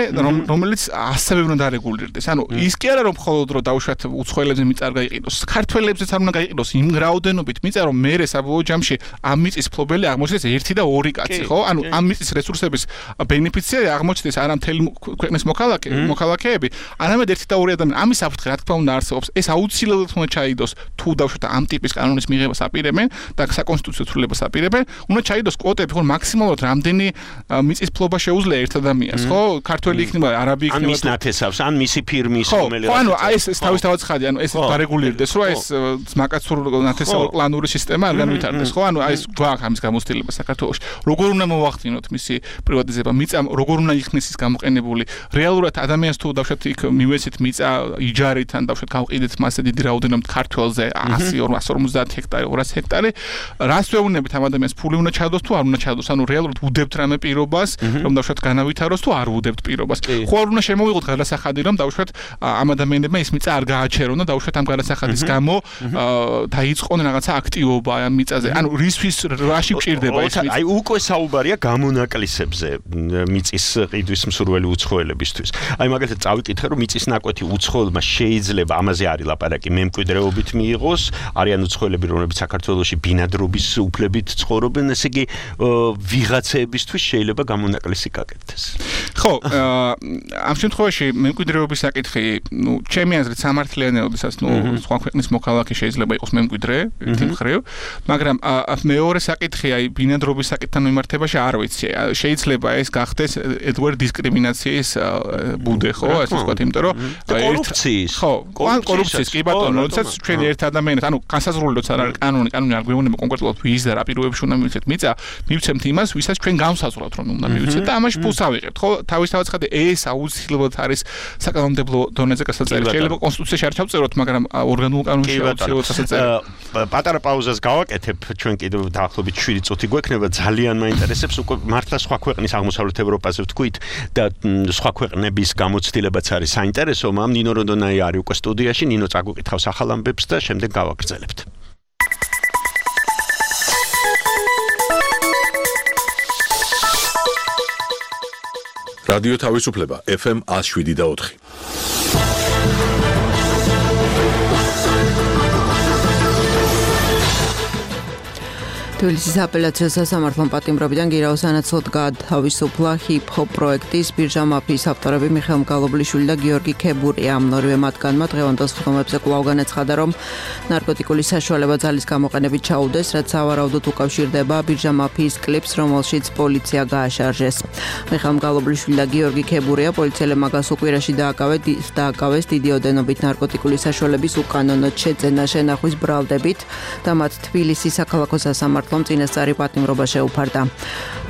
G: რომელიც ასევე უნდა დარეგულირდეს ანუ ის კი არა რომ მხოლოდ რომ დაუშვათ უცხოელებზე მიწა არ გაიყიდოს ქართველებზეც არ უნდა გაიყიდოს იმ რაოდენობით მიწა რომ მე საბოლოო ჯამში ამ მიწის ფლობელი აღმოჩნდეს ერთი და ორი კაცი ხო ანუ ამ მიწის რესურსების ბენეფიციარი აღმოჩნდეს არა მთელი ქვეყნის მოქალაქე მოქალაქეები არამედ ერთი და ორი ადამიანი ამის საფრთხე რა თქმა უნდა არსებობს ეს აუცილებლად უნდა ჩაიდოს თუ დაუშვათ ამ ტიპის კანონის მიღებას აპირებენ და საკონსტიტუციო ცვლილებას აპირებენ უნდა ჩაიდოს კვოტები ხო მაქსიმალურად რამდენი მიწის ფლობა შეუძლია ერთ ადამიანს ხო ქართველი იქნება არაბი იქნება
F: ან მის ნათესავს ან მისი ფირმის
G: რომელიც ხო ანუ ეს ეს თავისთავად ხადი ანუ ეს დარეგულირდეს რომ ეს მაკაცურ ნათესაურ პლანური სისტემა არ განვითარდეს ხო ანუ აი ეს გვაქვს ამის გამოცდილება საქართველოში როგორ უნდა მოვახდინოთ მისი პრივატიზება მიწა როგორ უნდა იქნეს ის გამოყენებული რეალურად ადამიანს თუ დავშოთ იქ მივეცეთ მიწა იჯარით ან დავშოთ გავყიდეთ მასე დიდი რაოდენობით ქართველზე ასი ორ ორმოცდაათი ჰექტარი ორასი ჰექტარი რას ვეუბნებით ამ ადამიანს ფული უნდა ჩადოს თუ არ უნდა ჩადოს ანუ რეალურად უდებთ რამე პირობას რომ დავშოთ განავითაროს თუ არ უდებთ პირობას ხო არ უნდა შემოვიღოთ გადასახადი რომ დავშოთ ამ ადამიანებმა ის მიწა არ გააჩერონ და დავშოთ ამ გადასახადის გამო დაიწყონ რაღაცა აქტივობა ამ მიწაზე ანუ რისთვის რაში გჭირდება ეს მიწა
F: აი უკვე საუბარია გამონაკლისებზე მიწის ყიდვის მსურველი უცხოელებისთვის აი მაგალითად წავიკითხე რომ მიწის ნაკვეთი უცხოელმა შეიძლება ამაზე არის ლაპარაკი მემკვიდრეობით მიიღოს არიან უცხოელები რომლებიც საქართველოში ბინადრობის უფლებით ცხოვრობენ ესე იგი ვიღაცეებისთვის შეიძლება გამონაკლისი გაკეთდეს
G: ხო ამ შემთხვევაში მემკვიდრეობის საკითხი ნუ ჩემი აზრით სამართლიანია ოდესაც ნუ სხვა ქვეყნის მოქალაქე შეიძლება იყოს მემკვიდრე ერთი მხრივ მაგრამ მეორე საკითხი აი ბინადრობის საკითხთან მიმართებაში არ ვიცი შეიძლება ეს გახდეს ედგვარ დისკრიმინაციის ბუდე ხო ასე ვთქვათ იმიტომ რომ
F: კორუფციის
G: ხო კორუფციის კი ბატონო როდესაც ჩვენ ერთ ადამიანს ანუ განსაზღვრული როცა არ არის კანონი კანონი არ გვეუბნება კონკრეტულად ვის და რა პირობებში უნდა მივიცეთ მიწა მივცემთ იმას ვისაც ჩვენ განსაზღვრავთ რომ უნდა მივიცეთ და ამაში ფულს ავიღებთ ხო თავისთავად ხადი ეს აუცილებლად არის საკანონმდებლო დონეზე გასაწევრი შეიძლება კონსტიტუციაში არ ჩავწეროთ მაგრამ ორგანულ კანონში აუცილებლად გასაწევრი
F: პატარა პაუზას გავაკეთებ ჩვენ კიდევ დაახლოებით შვიდი წუთი გვექნება ძალიან მაინტერესებს უკვე მართლა სხვა ქვეყნის აღმოსავლეთ ევროპაზე ვთქვით და სხვა ქვეყნების გამოცდილებაც არის საინტერესო მაგრამ ნინო როდონაი არის უკვე სტუდიაში ნინო წაგვიკითხავს ახალ ამბებს და შემდეგ გავაგრძელებთ
A: რადიო თავისუფლება ეფ ემ one oh seven და ოთხი
H: თბილისის აპელაციო სასამართლომ პატიმრობიდან გირაოს ანაცვლოდ გაათავისუფლა ჰიპ-ჰოპ პროექტის ბირჟა მაფიის ავტორები მიხეილ მგალობლიშვილი და გიორგი ქებურია. ამ ორივე მათგანმა დღევანდელ სხდომებზე კვლავ განაცხადა, რომ ნარკოტიკული საშუალება ძალის გამოყენებით ჩაუდეს, რაც სავარაუდოდ უკავშირდება ბირჟა მაფიის კლიპს, რომელშიც პოლიცია გააშარჟეს. მიხეილ მგალობლიშვილი და გიორგი ქებურია პოლიციელებმა გასულ კვირაში დააკავეს დიდი ოდენობით ნარკოტიკული საშუალების უკანონოდ შეძენა შენახვის ბრალდებით და მათ თბილისის საქალაქო სასამართლო საქართველოს წინასწარი პატიმრობა შეუფარდა.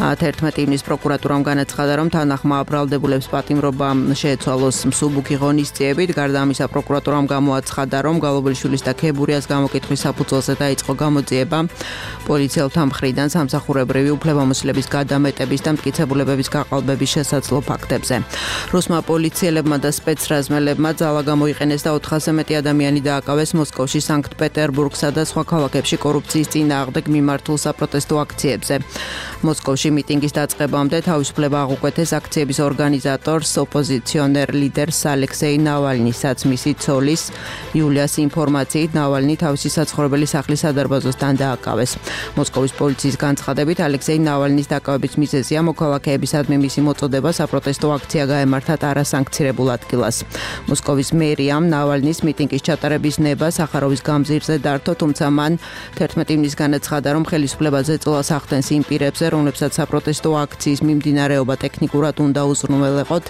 H: თერთმეტი ივნის პროკურატურამ განაცხადა, რომ თანახმა ბრალდებულებს პატიმრობა შეეცვალოს მსუბუქი ღონისძიებით. გარდა ამისა, პროკურატურამ გამოაცხადა, რომ გალობელიშვილის და ქებურიას გამოკითხვის საფუძველზე დაიწყო გამოძიება. პოლიციელთა მხრიდან სამსახურებრივი უფლებამოსილების გადამეტების და მტკიცებულებების გაყალბების შესაძლო ფაქტებზე. რუსმა პოლიციელებმა და სპეცრაზმელებმა ძალა გამოიყენეს და ოთხასზე მეტი ადამიანი დააკავეს მოსკოვში, სანქტ-პეტერბურგსა და სხვა ქალაქებში კორუფციის წინააღმდეგ მიმართულ საპროტესტო აქციებზე. მოსკოვში მიტინგის დაწყებამდე თავისუფლება აღუკვეთეს აქციების ორგანიზატორს, ოპოზიციონერ ლიდერს ალექსეი ნავალნისაც. მისი ცოლის იულიას ინფორმაციით ნავალნი თავისი საცხოვრებელი სახლის სადარბაზოსთან დააკავეს. მოსკოვის პოლიციის განცხადებით, ალექსეი ნავალნის დაკავების მიზეზია მოქალაქეებისადმი მისი მოწოდება საპროტესტო აქცია გაემართათ არასანქცირებულ ადგილას. მოსკოვის მერიამ ნავალნის მიტინგის ჩატარების ნება სახაროვის გამზირზე დართო, თუმცა მან თერთმეტი ივნის განაცხადა, რომ ხელისუფლებაზე წილას ახდენს იმ პირებზე, რომლებსაც საპროტესტო აქციის მიმდინარეობა ტექნიკურად უნდა უზრუნველეყოთ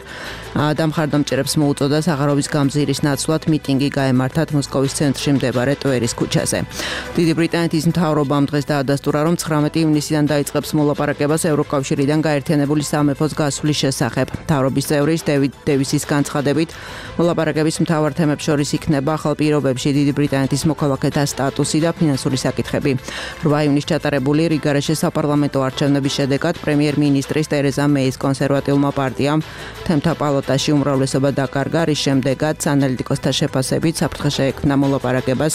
H: და მხარდამჭერებს მოუწოდა სახაროვის გამზირის ნაცვლად მიტინგი გაემართათ მოსკოვის ცენტრში მდებარე ტვერის ქუჩაზე. დიდი ბრიტანეთის მთავრობამ დღეს დაადასტურა, რომ ცხრამეტი ივნისიდან დაიწყებს მოლაპარაკებას ევროკავშირიდან გაერთიანებული სამეფოს გასვლის შესახებ. მთავრობის წევრის დევიდ დევისის განცხადებით, მოლაპარაკების მთავარ თემებს შორის იქნება ახალ პირობებში დიდი ბრიტანეთის მოქალაქეთა სტატუსი და ფინანსური საკითხები. რვა ივნის ჩატარებული რიგარეშე საპარლამენტო არჩევნების შედეგად პრემიერ-მინისტრის ტერეზა მეის კონსერვატიულმა პარტიამ თემთა პალატაში უმრავლესობა დაკარგა, რის შემდეგაც ანალიტიკოსთა შეფასებით საფრთხე შეექმნა მოლაპარაკებას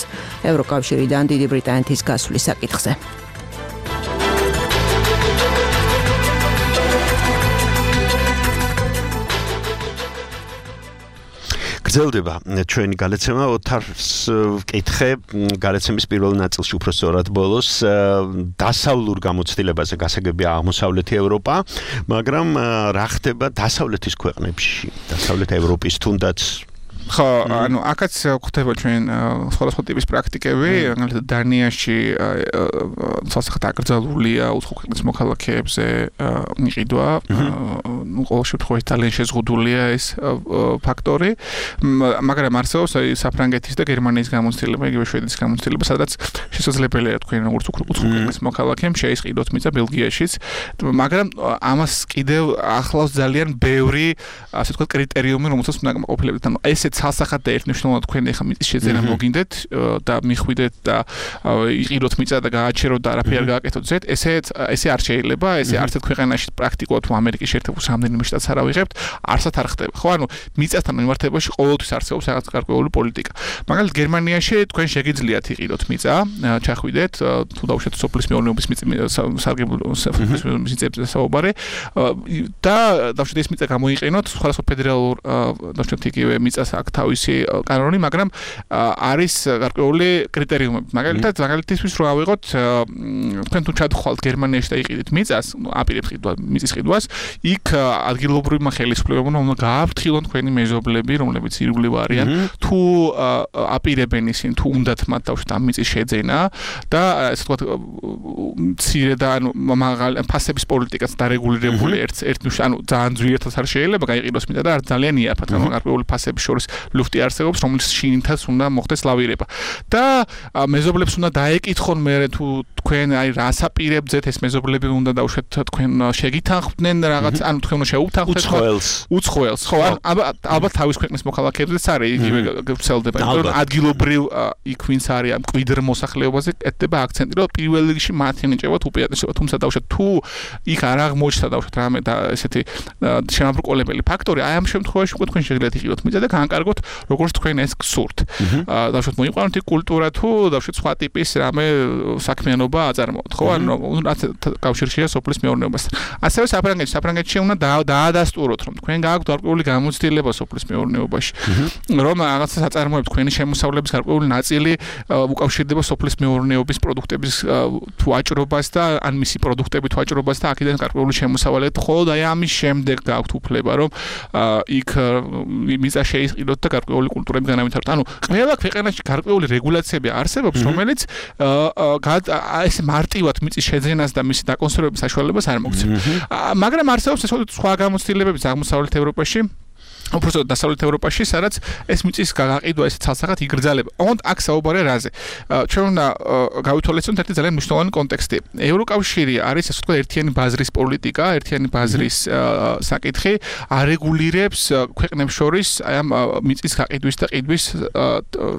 H: ევროკავშირიდან დიდი ბრიტანეთის გასვლის საკითხზე.
F: გრძელდება ჩვენი გადაცემა. ოთარს ვკითხე გადაცემის პირველ ნაწილში უფრო სწორად ბოლოს დასავლურ გამოცდილებაზე გასაგებია აღმოსავლეთი ევროპა, მაგრამ რა ხდება დასავლეთის ქვეყნებში, დასავლეთ ევროპის თუნდაც
G: ხო, ანუ აქაც გვხვდება ჩვენ სხვადასხვა ტიპის პრაქტიკები, მაგალითად დანიაში სასახად აკრძალულია უცხო ქვეყნის მოქალაქეებზე მიყიდვა, ну, ყოველ შემთხვევაში ძალიან შეზღუდულია ეს ფაქტორი, მაგრამ არსებობს საფრანგეთის და გერმანიის გამოცდილება, იგივე შვედეთის გამოცდილება, სადაც შესაძლებელია თქვენ როგორც უცხო ქვეყნის მოქალაქემ შეისყიდოთ მიწა ბელგიაშიც, მაგრამ ამას კიდევ ახლავს ძალიან ბევრი, ასე ვთქვათ, კრიტერიუმი, რომელსაც უნდა გამოყოფილებდეთ. ანუ ესეც სასახად და ერთნიშნულად თქვენ ახლა მიწის შეძენა მოგინდეთ და მიხვიდეთ და იყიდოთ მიწა და გააჩეროთ და არაფერი არ გააკეთოთ ზეთ, ესე ესე არ შეიძლება, ესე არც ერთ ქვეყანაში პრაქტიკულად თუ ამერიკის შეერთებულ რამდენიმე შტატს არ ავიღებთ, არსად არ ხდება. ხო, ანუ მიწასთან მიმართებაში ყოველთვის არსებობს რაღაც გარკვეული პოლიტიკა. მაგალითად გერმანიაში თქვენ შეგიძლიათ იყიდოთ მიწა, ჩახვიდეთ, თუ დაუშვათ სოფლის მეურნეობის სარგებლო მიწებზე საუბარი და დაუშვათ ეს მიწა გამოიყენოთ სხვადასხვა ფედერალურ დაუშვათ იგივე მიწას თავისი კანონი, მაგრამ არის გარკვეული კრიტერიუმები. მაგალითად, მაგალითისთვის რო ავიღოთ, თქვენ თუ ჩადხვალთ გერმანიაში და იყიდეთ მიწას, აპირებთ ყიდვა, მიწის ყიდვას, იქ ადგილობრივმა ხელისუფლებამ უნდა გააფრთხილონ თქვენი მეზობლები, რომლებიც ირგვლივ არიან, თუ აპირებენ ისინი, თუ უნდათ მათ დავშვათ ამ მიწის შეძენა და ესე ვთქვათ, მცირე და ანუ მაღალი ფასების პოლიტიკაც დარეგულირებული ერთ ერთნიშნ, ანუ ძალიან ძვირადაც არ შეიძლება გაიყიდოს მიწა და არ ძალიან იაფად, ანუ გარკვეული ფასების შორის ლუფტი არსებობს, რომელიც შინითაც უნდა მოხდეს ლავირება. და მეზობლებს უნდა დაეკითხონ მერე თუ თქვენ აი რას აპირებთ, ეს მეზობლები უნდა დაუშვათ თქვენ შეგითანხმდნენ რაღაც, ანუ თქვენ უნდა შეუთანხმდეთ
F: უცხოელს.
G: უცხოელს, ხო, ალბათ თავის ქვეყნის მოქალაქეებზეც არის იგივე ვრცელდება, იმიტომ რომ ადგილობრივ იქ ვინც არის ამ კვიდრ მოსახლეობაზე კეთდება აქცენტი, რომ პირველ რიგში მათ ენიჭებათ უპირატესობა, თუმცა დაუშვათ თუ იქ არ აღმოჩნდა დაუშვათ რამე და ესეთი შემაბრკოლებელი ფაქტორი, აი ამ შემთხვევაში უკვე თქვენ შეგიძლიათ იყიდოთ მიწა და განკარგოთ როგორც თქვენ ეს გსურთ. დაუშვათ მოიყვანოთ იქ კულტურა თუ დაუშვათ სხვა ტიპის რამე საქმიანობა აწარმოოთ, ხო? ანუ რაც კავშირშია სოფლის მეურნეობასთან. ასევე საფრანგეთში, საფრანგეთში უნდა დაადასტუროთ, რომ თქვენ გააქვთ გარკვეული გამოცდილება სოფლის მეურნეობაში, რომ რაღაცა საწარმოებს თქვენი შემოსავლების გარკვეული ნაწილი უკავშირდება სოფლის მეურნეობის პროდუქტების თუ ვაჭრობას და ან მისი პროდუქტებით ვაჭრობას და აქედან გარკვეული შემოსავალი და ხოლმე აი ამის შემდეგ გააქვთ უფლება, რომ იქ მიწა შეისყიდოთ და გარკვეული კულტურები განავითაროთ. ანუ ყველა ქვეყანაში გარკვეული რეგულაციები არსებობს, რომელიც ეს მარტივად მიწის შეძენას და მისი დაკონსერვების საშუალებას არ მოგცემ. მაგრამ არსებობს სხვა გამოცდილებებიც აღმოსავლეთ ევროპაში, უბრალოდ დასავლეთ ევროპაში, სადაც ეს მიწის გაყიდვა ესე ცალსახად იგრძელება. ოღონდ აქ საუბარია რაზე? ჩვენ უნდა გავითვალისწინოთ ერთი ძალიან მნიშვნელოვანი კონტექსტი. ევროკავშირი არის ასე ვთქვათ ერთიანი ბაზრის პოლიტიკა, ერთიანი ბაზრის საკითხი, არეგულირებს ქვეყნებს შორის აი ამ მიწის გაყიდვის და ყიდვის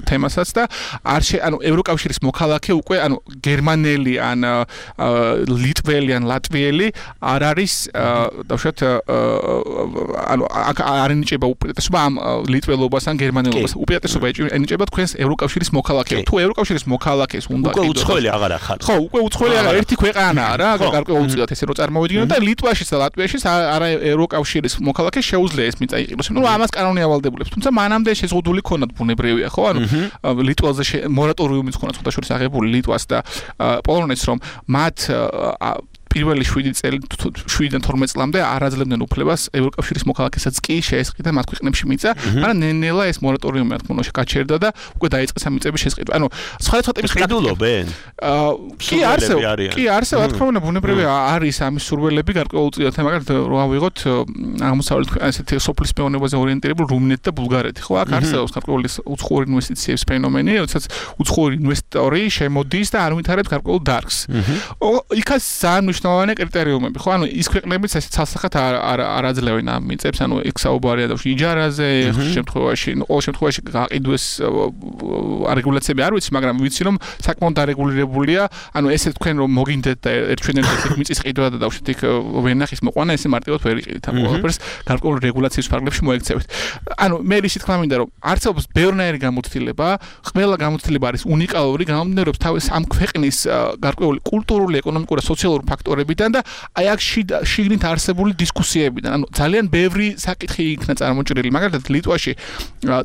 G: თემასაც და არ შე ანუ ევროკავშირის მოქალაქე უკვე ანუ გერმანელი ან ლიტველი ან ლატვიელი არ არის დავუშვათ ანუ აქ არ ენიჭება უპირატესობა ამ ლიტველობას ან გერმანელობას. უპირატესობა ენიჭება თქვენს ევროკავშირის მოქალაქეებს. თუ ევროკავშირის მოქალაქეს უნდა
F: უკვე უცხოელი აღარ ახარ.
G: ხო, უკვე უცხოელი აღარ ერთი ქვეყანაა რა, გარკვეულწილად ესე რომ წარმოვიდგინოთ და ლიტვაშიც და ლატვიაშიც არა ევროკავშირის მოქალაქე შეუძლია ეს მიწა იყიდოს. ნუ ამას კანონი ავალდებულებს. თუმცა მანამდე შეზღუდული ქონათ ბუნებრივია, ხო? ანუ ლიტველზე მორატორიუმიც ქონათ ხუთაშორის აღებული ლიტვას და პოლონეთს რომ მათ პირველი შვიდი წელი შვიდიდან თორმეტ წლამდე არ აძლევდნენ უფლებას ევროკავშირის მოქალაქესაც კი შეესყიდა მათ ქვეყნებში მიწა, მაგრამ ნელ-ნელა ეს მორატორიუმი რა თქმა უნდა გაჩერდა და უკვე დაიწყეს ამ მიწების შესყიდვა. ანუ სხვადასხვა ტიპის
F: ყიდულობენ?
G: კი არსებობს, კი არსებობს, რა თქმა უნდა ბუნებრივია არის ამის სურვილები გარკვეულწილად, მაგალითად რო ავიღოთ აღმოსავლეთ ესეთი სოფლის მეურნეობაზე ორიენტირებული რუმინეთი და ბულგარეთი, ხო? აქ არსებობს გარკვეული უცხოური ინვესტიციების ფენომენი, როდესაც უცხოური ინვესტორი შემოდის და არ ვითარებს გარკვეულ დარგს. იქაც ძალიან მნიშვნელოვანი კრიტერიუმები, ხო? ანუ ის ქვეყნებიც ესე ცალსახად არ არ არ აძლევენ ამ მიწებს, ანუ იქ საუბარია და იჯარაზე, ხშირ შემთხვევაში, ყოველ შემთხვევაში გაყიდვის რეგულაციები არ ვიცი, მაგრამ ვიცი რომ საკმაოდ დარეგულირებულია, ანუ ესე თქვენ რომ მოგინდეთ და ერთჩვენებთ იქ მიწის ყიდვა და დავშეთ იქ ვენახის მოყვანა, ესე მარტივად ვერ იყიდით ამ ყველაფერს, გარკვეული რეგულაციის ფარგლებში მოექცევით. ანუ მე ისიც თქვა მინდა რომ არსებობს ბევრნაირი გამოცდილება, ყველა გამოცდილება არის უნიკალური, გამომდინარეობს თავის ამ ქვეყნის გარკვეული კულტურული, ეკონომიკური და სოციალური ფაქტორებიდან და აი აქ შიგნით არსებული დისკუსიებიდან. ანუ ძალიან ბევრი საკითხი იქნა წარმოჭრილი. მაგალითად ლიტვაში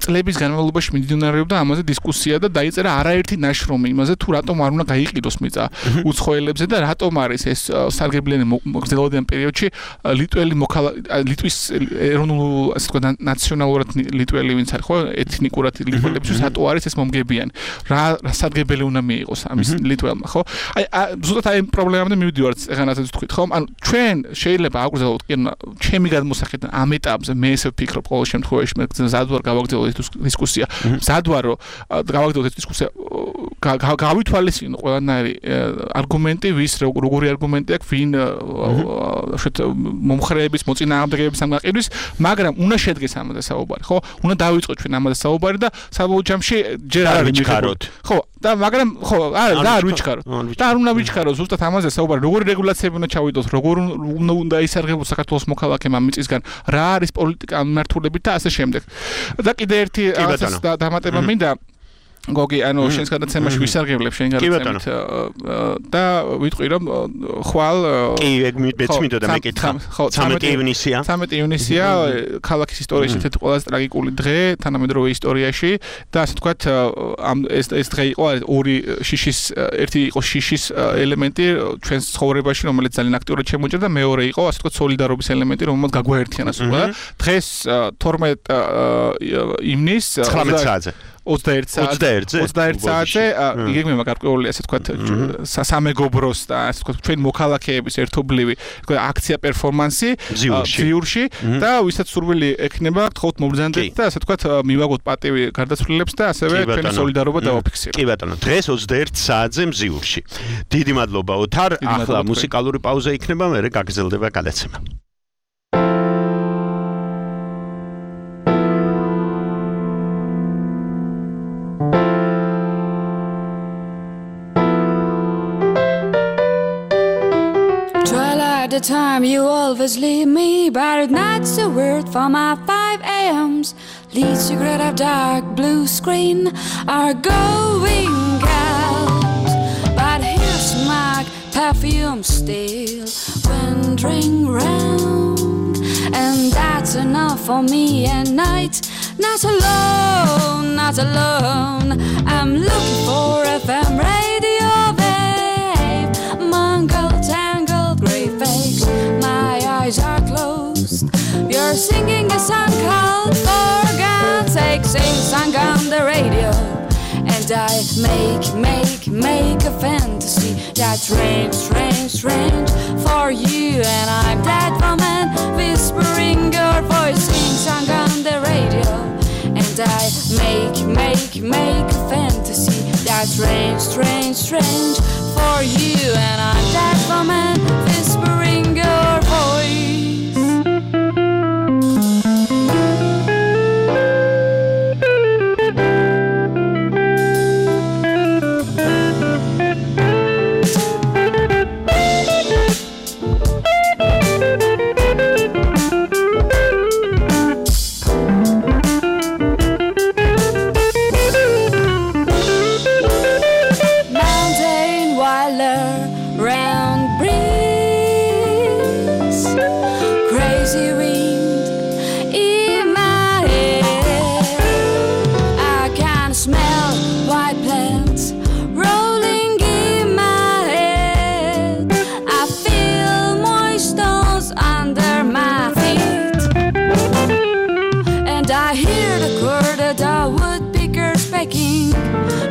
G: წლების განმავლობაში მიმდინარეობდა ამაზე დისკუსია და დაიწერა არაერთი ნაშრომი იმაზე თუ რატომ არ უნდა გაიყიდოს მიწა უცხოელებზე და რატომ არის ეს სარგებლიანი მოგრძელობიდან პერიოდში ლიტველი ლიტვის ეროვნულ ასე ვთქვათ ნაციონალურად ლიტველი ვინც არის ხო ეთნიკურად ლიტველებისთვის რატო არის ეს მომგებიანი. რა სარგებელი უნდა მიიღოს ამის ლიტველმა ხო? აი ზუსტად აი პრობლემამდე მივდივართ ეგანასაც თქვით ხომ? ანუ ჩვენ შეიძლება აგვგზავნოთ კი ჩემი გადმოსახედიდან ამ ეტაპზე მე ესე ვფიქრობ ყოველ შემთხვევაში მე ზადვარ გავაგრძელოთ ეს დისკუსია. ზადვარ რომ გავაგრძელოთ ეს დისკუსია გავითვალისწინო ყველანაირი არგუმენტი ვის როგორი არგუმენტი აქვს ვინ შეთ მომხრეების მოწინააღმდეგეების ამ გაყიდვის, მაგრამ უნდა შედგეს ამაზე საუბარი, ხო? უნდა დავიწყოთ ჩვენ ამაზე საუბარი და საბოლოო ჯამში ჯერ არ
F: ვიჩქაროთ.
G: ხო, და მაგრამ ხო, არა, და არ ვიჩქაროთ. და არ უნდა ვიჩქაროთ ზუსტად ამაზე საუბარი, როგორი რეგულაციები უნდა ჩავიდოთ, როგორ უნდა ისარგებლოს საქართველოს მოქალაქემ ამ მიწისგან, რა არის პოლიტიკა მიმართულებით და ასე შემდეგ. და კიდე ერთი რაღაცას დამატება მინდა გოგი, ანუ შენს გადაცემაში ვისარგებლებ შენ გადაცემით და ვიტყვი რომ ხვალ
F: კი ეგ მეც მინდოდა და მეკითხა ცამეტი ივნისია
G: ცამეტი ივნისია ქალაქის ისტორიაში ერთ-ერთი ყველაზე ტრაგიკული დღე თანამედროვე ისტორიაში და ასე ვთქვათ ამ ეს ეს დღე იყო ორი შიშის ერთი იყო შიშის ელემენტი ჩვენს ცხოვრებაში რომელიც ძალიან აქტიურად შემოჭრა და მეორე იყო ასე ვთქვათ სოლიდარობის ელემენტი რომელმაც გაგვაერთიანა სულ დღეს თორმეტ ივნისს
F: ცხრამეტ საათზე
G: ოცდაერთ საათზე ოცდაერთ საათზე იგეგმება გარკვეული ასე ვთქვათ სამეგობროს და ასე ვთქვათ ჩვენ მოქალაქეების ერთობლივი თქვა აქცია პერფორმანსი ძიურში და ვისაც სურვილი ექნება გთხოვთ მომბრძანდეთ და ასე ვთქვათ მივაგოთ პატივი გარდაცვლილებს და ასევე ჩვენი სოლიდარობა დავაფიქსიროთ.
F: კი ბატონო, დღეს ოცდაერთ საათზე ძიურში. დიდი მადლობა ოთარ. ახლა მუსიკალური პაუზა იქნება, მერე გაგრძელდება გადაცემა.
I: The time you always leave me, but not a word for my five a.m.s. Lead cigarette of dark blue screen are going out, but here's my perfume still wandering round, and that's enough for me at night. Not alone, not alone. I'm looking for F M radio, babe. Mangled, tangled, grey face. My eyes are closed. You're singing a song called For God's Sake. Sing song on the radio, and I make, make, make a fantasy that's strange, strange, strange for you. And I'm that woman whispering your voice. Sing song on the radio. And I make, make, make a fantasy that's strange, strange, strange for you. And I'm that woman whispering your voice.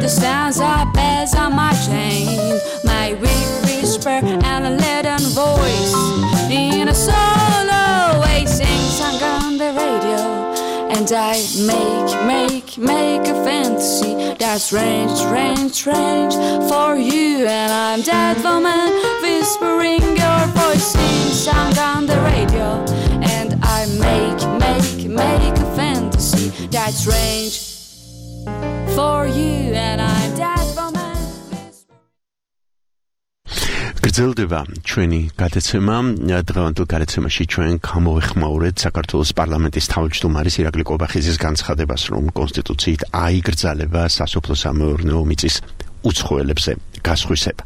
I: The sounds are bells on my chain, my weak whisper and a leaden voice in a solo way sing song on the radio. And I make, make, make a fantasy that's strange, strange, strange for you. And I'm that woman whispering your voice sing song on the radio. And I make, make, make a fantasy that's strange for you. And I'm that woman.
F: გრძელდება ჩვენი გადაცემა. დღევანდელ გადაცემაში ჩვენ გამოვეხმაურეთ საქართველოს პარლამენტის თავმჯდომარის ირაკლი კობახიძის განცხადებას, რომ კონსტიტუციით აიგრძალება სასოფლო-სამეურნეო მიწის უცხოელებზე გასხვისება.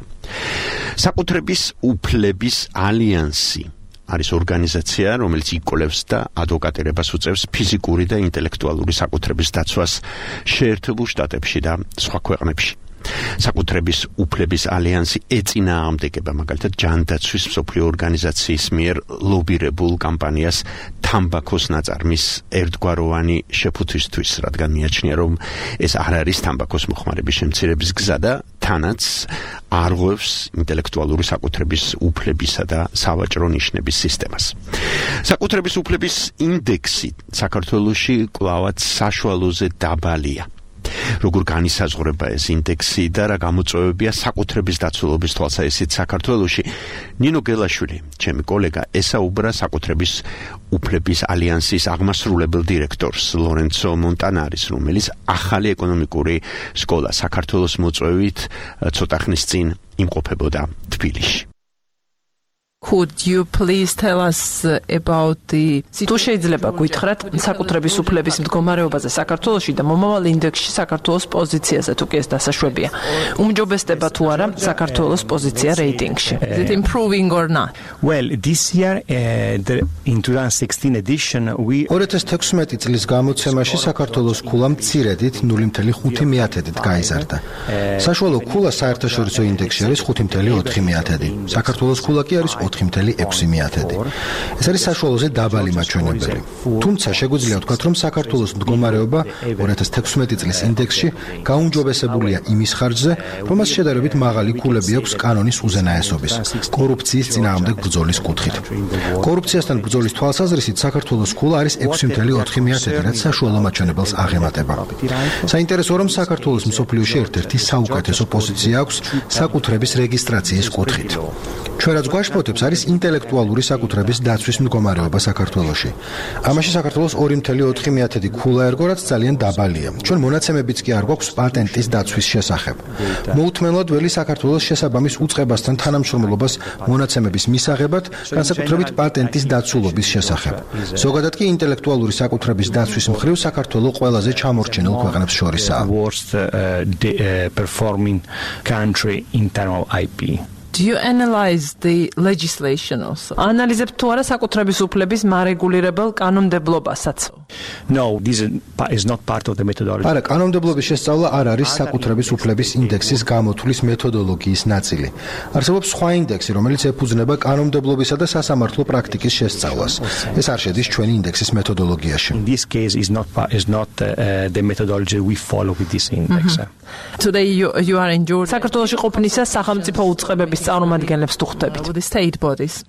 F: საკუთრების უფლების ალიანსი არის ორგანიზაცია, რომელიც იკოლევს და ადვოკატირებას უწევს ფიზიკური და ინტელექტუალური საკუთრების დაცვას შეერთებულ შტატებში და სხვა ქვეყნებში. საკუთრების უფლების ალიანსი ეწინააღმდეგება მაგალითად ჯანდაცვის მსოფლიო ორგანიზაციის მიერ ლობირებულ კამპანიას თამბაქოს ნაწარმის ერთგვაროვანი შეფუთვისთვის, რადგან მიაჩნია, რომ ეს არ არის თამბაქოს მოხმარების შემცირების გზა და თანაც არღვევს ინტელექტუალური საკუთრების უფლებისა და სავაჭრო ნიშნების სისტემას. საკუთრების უფლების ინდექსი საქართველოში კვლავაც საშუალოზე დაბალია. როგორ განისაზღვრება ეს ინდექსი და რა გამოწვევებია საკუთრების დაცულობის თვალსაზრისით საქართველოში? ნინო გელაშვილი, ჩემი კოლეგა, ესაუბრა საკუთრების უფლების ალიანსის აღმასრულებელ დირექტორს ლორენცო მონტანარის, რომელიც ახალი ეკონომიკური სკოლა საქართველოს მოწვევით ცოტა ხნის წინ იმყოფებოდა თბილისში.
J: Could you please tell us about the თუ შეიძლება გითხრათ საკუთრების უფლების მდგომარეობაზე საქართველოში და მომავალ ინდექსში საქართველოს პოზიციაზე თუ კი ეს დასაშვებია. უმჯობესდება თუ არა საქართველოს პოზიცია რეიტინგში. Is it improving or not?
K: Well, this year uh, the, in twenty sixteen edition we
L: ორი ათას თექვსმეტი წლის გამოცემაში საქართველოს ქულა მცირედით ნული კoma ხუთი მეათედით გაიზარდა. საშუალო ქულა საერთაშორისო ინდექსში არის ხუთი კoma ოთხი მეათედი. საქართველოს ქულა კი არის ოთხი კoma ექვსი მეათედი. ეს არის საშუალოზე დაბალი მაჩვენებელი. თუმცა შეგვიძლია ვთქვათ, რომ საქართველოს მდგომარეობა ორი ათას თექვსმეტი წლის ინდექსში გაუმჯობესებულია იმის ხარჯზე, რომ მას შედარებით მაღალი ქულები აქვს კანონის უზენაესობის, კორუფციის წინააღმდეგ ბრძოლის კუთხით. კორუფციასთან ბრძოლის თვალსაზრისით საქართველოს ქულა არის ექვსი კoma ოთხი მეათედი, რაც საშუალო მაჩვენებელს აღემატება. საინტერესოა, რომ საქართველოს მსოფლიოში ერთ-ერთი საუკეთესო პოზიცია აქვს საკუთრების რეგისტრაციის კუთხით. ჩვენ რაც გვაშფოთებს არის ინტელექტუალური საკუთრების დაცვის მდგომარეობა საქართველოში. ამაში საქართველოს ორი კoma ოთხი მეათედი ქულა ერგო, რაც ძალიან დაბალია. ჩვენ მონაცემებიც კი არ გვაქვს პატენტის დაცვის შესახებ. მოუთმენლად ველი საქართველოს შესაბამის უწყებასთან თანამშრომლობას მონაცემების მისაღებად, განსაკუთრებით პატენტის დაცულობის შესახებ. ზოგადად კი ინტელექტუალური საკუთრების დაცვის მხრივ საქართველო ყველაზე ჩამორჩენილ ქვეყნებს შორისაა.
K: worst uh, the, uh, performing country internal I P.
J: Do you analyze the legislation also? Ანალიზებთ თუ არა საკუთრების უფლების მარეგულირებელ კანონმდებლობასაც?
K: No, this is not part of the methodology.
L: არა, კანონმდებლობის შესწავლა არ არის საკუთრების უფლების ინდექსის გამოთვლის მეთოდოლოგიის ნაწილი. არსებობს სხვა ინდექსი, რომელიც ეფუძნება კანონმდებლობისა და სასამართლო პრაქტიკის შესწავლას. ეს არ შედის ჩვენი ინდექსის მეთოდოლოგიაში.
K: In this case is not is not uh, the methodology we follow with this index.
J: Mm-hmm. Today you you are in Georgia. საქართველოში ყოფნისას სახელმწიფო უწყებების წარმომადგენლებს თუ ხვდებით? The state bodies.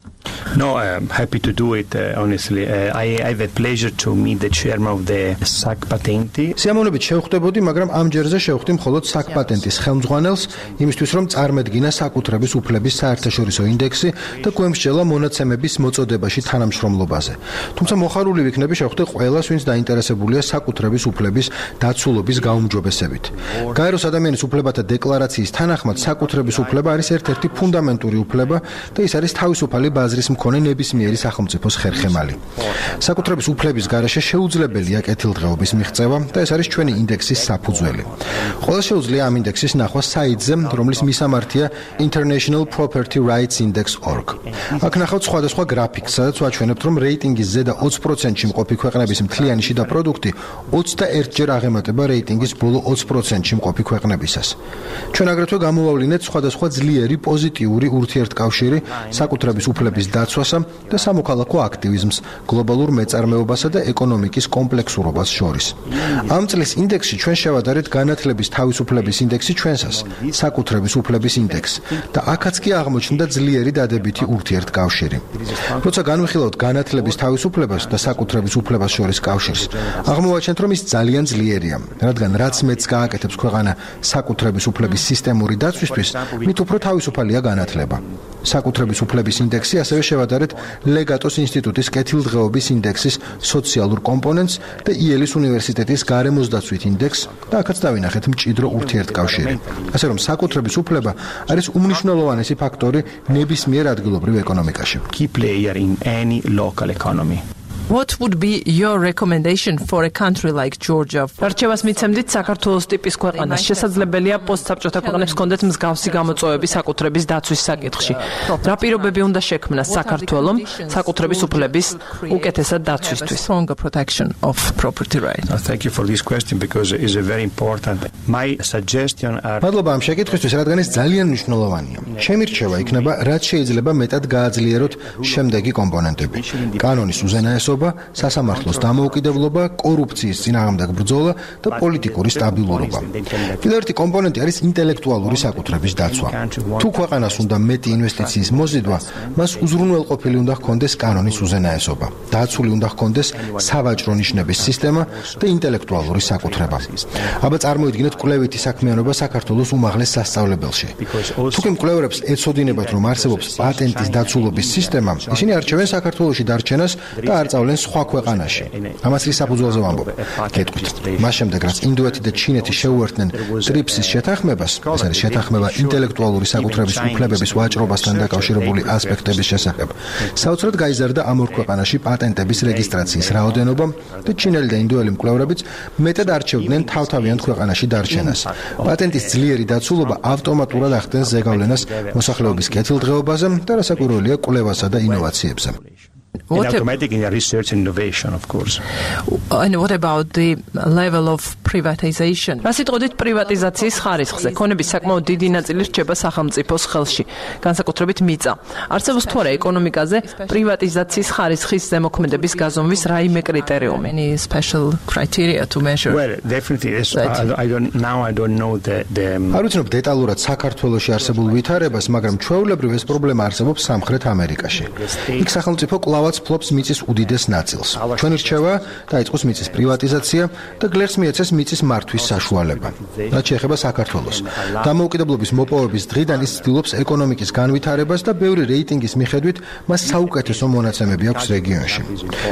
K: No, I'm happy to do it, uh, honestly. Uh, I, I have a pleasure to meet the chairman of the S A C Patenti.
L: სიამოვნებით შევხვდებოდი, მაგრამ ამ ჯერზე შევხვდი მხოლოდ S A C Patenti-ის ხელმძღვანელს, იმისთვის რომ წარმედგინა საკუთრების უფლების საერთაშორისო ინდექსი და გვემსჯელა მონაცემების მოწოდებაში თანამშრომლობაზე. თუმცა მოხარული ვიქნები შევხვდი ყველას, ვინც დაინტერესებულია საკუთრების უფლების დაცულობის გაუმჯობესებით. გაეროს ადამიანის უფლებათა დეკლარაციის თანახმად საკუთრების უფლება არის ერთ-ერთი ფუნდამენტური უფლება და ის არის თავისუფალი ბაზრის მქონე ნებისმიერი სახელმწიფოს ხერხემალი. საკუთრების უფლების გარეშე შეუძლებელია კეთილდღეობის მიღწევა და ეს არის ჩვენი ინდექსის საფუძველი. ყველა შეუძლია ამ ინდექსის ნახვა საიტზე, რომლის მისამართია International Property Rights Index dot org. აქ ნახავთ სხვადასხვა გრაფიკს, სადაც ვაჩვენებთ, რომ რეიტინგის ზედა ოცი პროცენტში მყოფი ქვეყნების მთლიანი შიდა პროდუქტი ოცდაერთჯერ აღემატება რეიტინგის ბოლო ოცი პროცენტში მყოფი ქვეყნებისას. ჩვენ აგრეთვე გამოვავლინეთ სხვადასხვა ძლიერი პოზიტიური ურთიერთკავშირი საკუთრების უფლების დაცვასა და სამოქალაქო აქტივიზმს, გლობალურ მეწარმეობასა და ეკონომიკის კომპლექსურობას შორის. ამ წლის ინდექსში ჩვენ შევადარეთ განათლების თავისუფლების ინდექსი ჩვენსას, საკუთრების უფლების ინდექსს და აქაც კი აღმოჩნდა ძლიერი დადებითი ურთიერთკავშირი. როცა განვიხილავთ განათლების თავისუფლებას და საკუთრების უფლებას შორის კავშირს, აღმოვაჩენთ, რომ ის ძალიან ძლიერია, რადგან რაც მეც გააკეთებს ქვეყანა საკუთრების უფლების სისტემური დაცვისთვის, მით უფრო თავისუფალია განათლება. საკუთრების უფლების ინდექსი ასევე შევადარეთ ლეგატოს ინსტიტუტის კეთილდღეობის ინდექსის სოციალურ კომპონენტს და იელის უნივერსიტეტის გარემოსდაცვით ინდექსს და აქაც დავინახეთ მჭიდრო ურთიერთკავშირი. ასე რომ საკუთრების უფლება არის უმნიშვნელოვანესი ფაქტორი ნებისმიერ ადგილობრივ ეკონომიკაში.
K: Key player in any local economy.
J: What would be your recommendation for a country like Georgia? რჩევას მიცემდით საქართველოს ტიპის ქვეყანას. შესაძლებელია პოსტსაბჭოთა ქვეყნებს კონდეთ მსგავსი გამოწვევები საკუთრების დაცვის საკითხში. რა პირობები უნდა შექმნას საქართველომ საკუთრების უფლების უკეთესად დაცვისთვის? Stronger protection of property rights.
K: Thank you for this question because it is a very important. My suggestion are
L: მადლობა ამ შეკითხვისთვის, რადგან ეს ძალიან მნიშვნელოვანია. ჩემი რჩევა იქნება, რაც შეიძლება მეტად გააძლიეროთ შემდეგი კომპონენტები. კანონის უზენაესობა, სასამართლოს დამოუკიდებლობა, კორუფციის წინააღმდეგ ბრძოლა და პოლიტიკური სტაბილურობა. კიდევ ერთი კომპონენტი არის ინტელექტუალური საკუთრების დაცვა. თუ ქვეყანას უნდა მეტი ინვესტიციის მოზიდვა, მას უზრუნველყოფილი უნდა ჰქონდეს კანონის უზენაესობა. დაცული უნდა ჰქონდეს სავაჭრო ნიშნების სისტემა და ინტელექტუალური საკუთრება. აბა წარმოიდგინეთ კვლევითი საქმიანობა საქართველოს უმაღლეს სასწავლებელში. თუ კი მკვლევარებს ეცოდინებათ, რომ არსებობს პატენტის დაცულობის სისტემა, ისინი არჩევენ საქართველოში დარჩენას და არ სწავლენ სხვა ქვეყანაში. ამას რის საფუძველზე ვამბობ? გეტყვით. მას შემდეგ, რაც ინდოეთი და ჩინეთი შეუერთდნენ ტრიპსის შეთანხმებას, ეს არის შეთანხმება ინტელექტუალური საკუთრების უფლებების ვაჭრობასთან დაკავშირებული ასპექტების შესახებ, საოცრად გაიზარდა ამ ორ ქვეყანაში პატენტების რეგისტრაციის რაოდენობა და ჩინელი და ინდოელი მკვლევარებიც მეტად არჩევდნენ თავთავიანთ ქვეყანაში დარჩენას. პატენტის ძლიერი დაცულობა ავტომატურად ახდენს ზეგავლენას მოსახლეობის კეთილდღეობაზე და რასაკვირველია კვლევასა და ინოვაციებზე.
K: What automatic in research and innovation, of course.
J: And what about the level of privatization? რას იტყოდით პრივატიზაციის ხარისხზე? ქონების საკმაოდ დიდი ნაწილი რჩება სახელმწიფოს ხელში, განსაკუთრებით მიწა. არსებობს თუ არა ეკონომიკაზე პრივატიზაციის ხარისხის ზემოქმედების გაზომვის რაიმე კრიტერიუმი? Any special criteria to measure?
K: Well, definitely yes. I, I don't now I don't know the the
L: არ ვიცნობ დეტალურად საქართველოში არსებულ ვითარებას, მაგრამ ჩვეულებრივ ეს პრობლემა არსებობს სამხრეთ ამერიკაში. იქ სახელმწიფო კლავაც ფლობს მიწის უდიდეს ნაწილს. ჩვენი რჩევა დაიწყოს მიწის პრივატიზაცია და გლეხს მიეცეს მიწის მართვის საშუალება. რაც შეეხება საქართველოს. დამოუკიდებლობის მოპოვების დღიდან ის ცდილობს ეკონომიკის განვითარებას და ბევრი რეიტინგის მიხედვით მას საუკეთესო მონაცემები აქვს რეგიონში.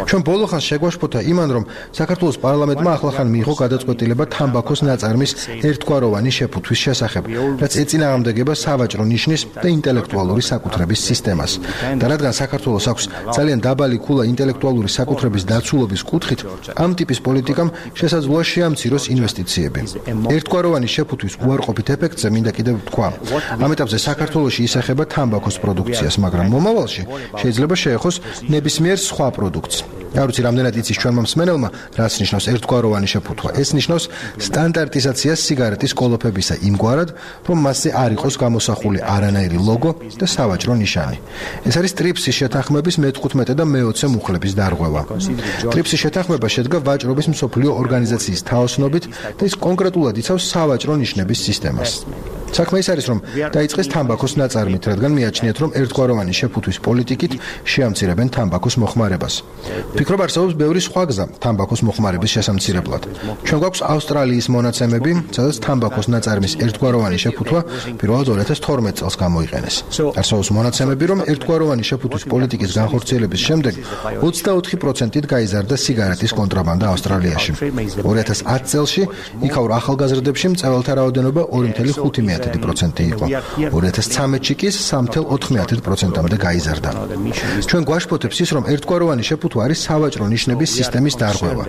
L: ჩვენ ბოლო ხანს შეგვაშფოთა იმან, რომ საქართველოს პარლამენტმა ახლახან მიიღო გადაწყვეტილება თამბაქოს ნაწარმის ერთგვაროვანი შეფუთვის შესახებ, რაც ეწინააღმდეგება სავაჭრო ნიშნის და ინტელექტუალური საკუთრების სისტემას. და რადგან საქართველოს აქვს ძალიან დაბალი ქულა ინტელექტუალური საკუთრების დაცულობის კუთხით, ამ ტიპის პოლიტიკამ შესაძლოა შეამციროს ინვესტიციები. ერთგვაროვანი შეფუთვის უარყოფით ეფექტზე მინდა კიდევ ვთქვა. ამ ეტაპზე საქართველოში ისახება თამბაქოს პროდუქციას, მაგრამ მომავალში შეიძლება შეეხოს ნებისმიერ სხვა პროდუქტს. არ ვიცი, რამდენად იცის ჩვენმა მსმენელმა, რაც ნიშნავს ერთგვაროვანი შეფუთვა. ეს ნიშნავს სტანდარტიზაციას სიგარეტის კოლოფებისა იმგვარად, რომ მასზე არ იყოს გამოსახული არანაირი ლოგო და სავაჭრო ნიშანი. ეს არის ტრიპსის შეთანხმების მეთხუთმეტე და მეოცე მუხლების დარღვევა. ტრიპსის შეთანხმება შედგა ვაჭრობის მსოფლიო ორგანიზაციის თაოსნობით და ის კონკრეტულად იცავს სავაჭრო ნიშნების სისტემას. საქმე ის არის, რომ დაიწყეს თამბაქოს ნაწარმით, რადგან მიაჩნიათ, რომ ერთგვაროვანი შეფუთვის პოლიტიკით შეამცირებენ თამბაქოს მოხმარებას. ვფიქრობ, არსებობს ბევრი სხვა გზა თამბაქოს მოხმარების შესამცირებლად. ჩვენ გვაქვს ავსტრალიის მონაცემები, სადაც თამბაქოს ნაწარმის ერთგვაროვანი შეფუთვა პირველად ორი ათას თორმეტ წელს გამოიყენეს. არსებობს მონაცემები, რომ ერთგვაროვანი შეფუთვის პოლიტიკის განხორციელების შემდეგ ოცდაოთხი პროცენტით გაიზარდა სიგარეტის კონტრაბანდა ავსტრალიაში. ორი ათას ათი წელში იქაურ ახალგაზრდებში მწვერვალთა რაოდენობა ორი ფاصლე ხუთი პროცენტი იყო. ორი ათას ცხრამეტში კი სამი ფაصლე ოთხ პროცენტამდე გაიზარდა. ჩვენ გვაშფოთებს ის, რომ ერთგვაროვანი შეფუთვა არის სავაჭრო ნიშნების სისტემის დარღვევა.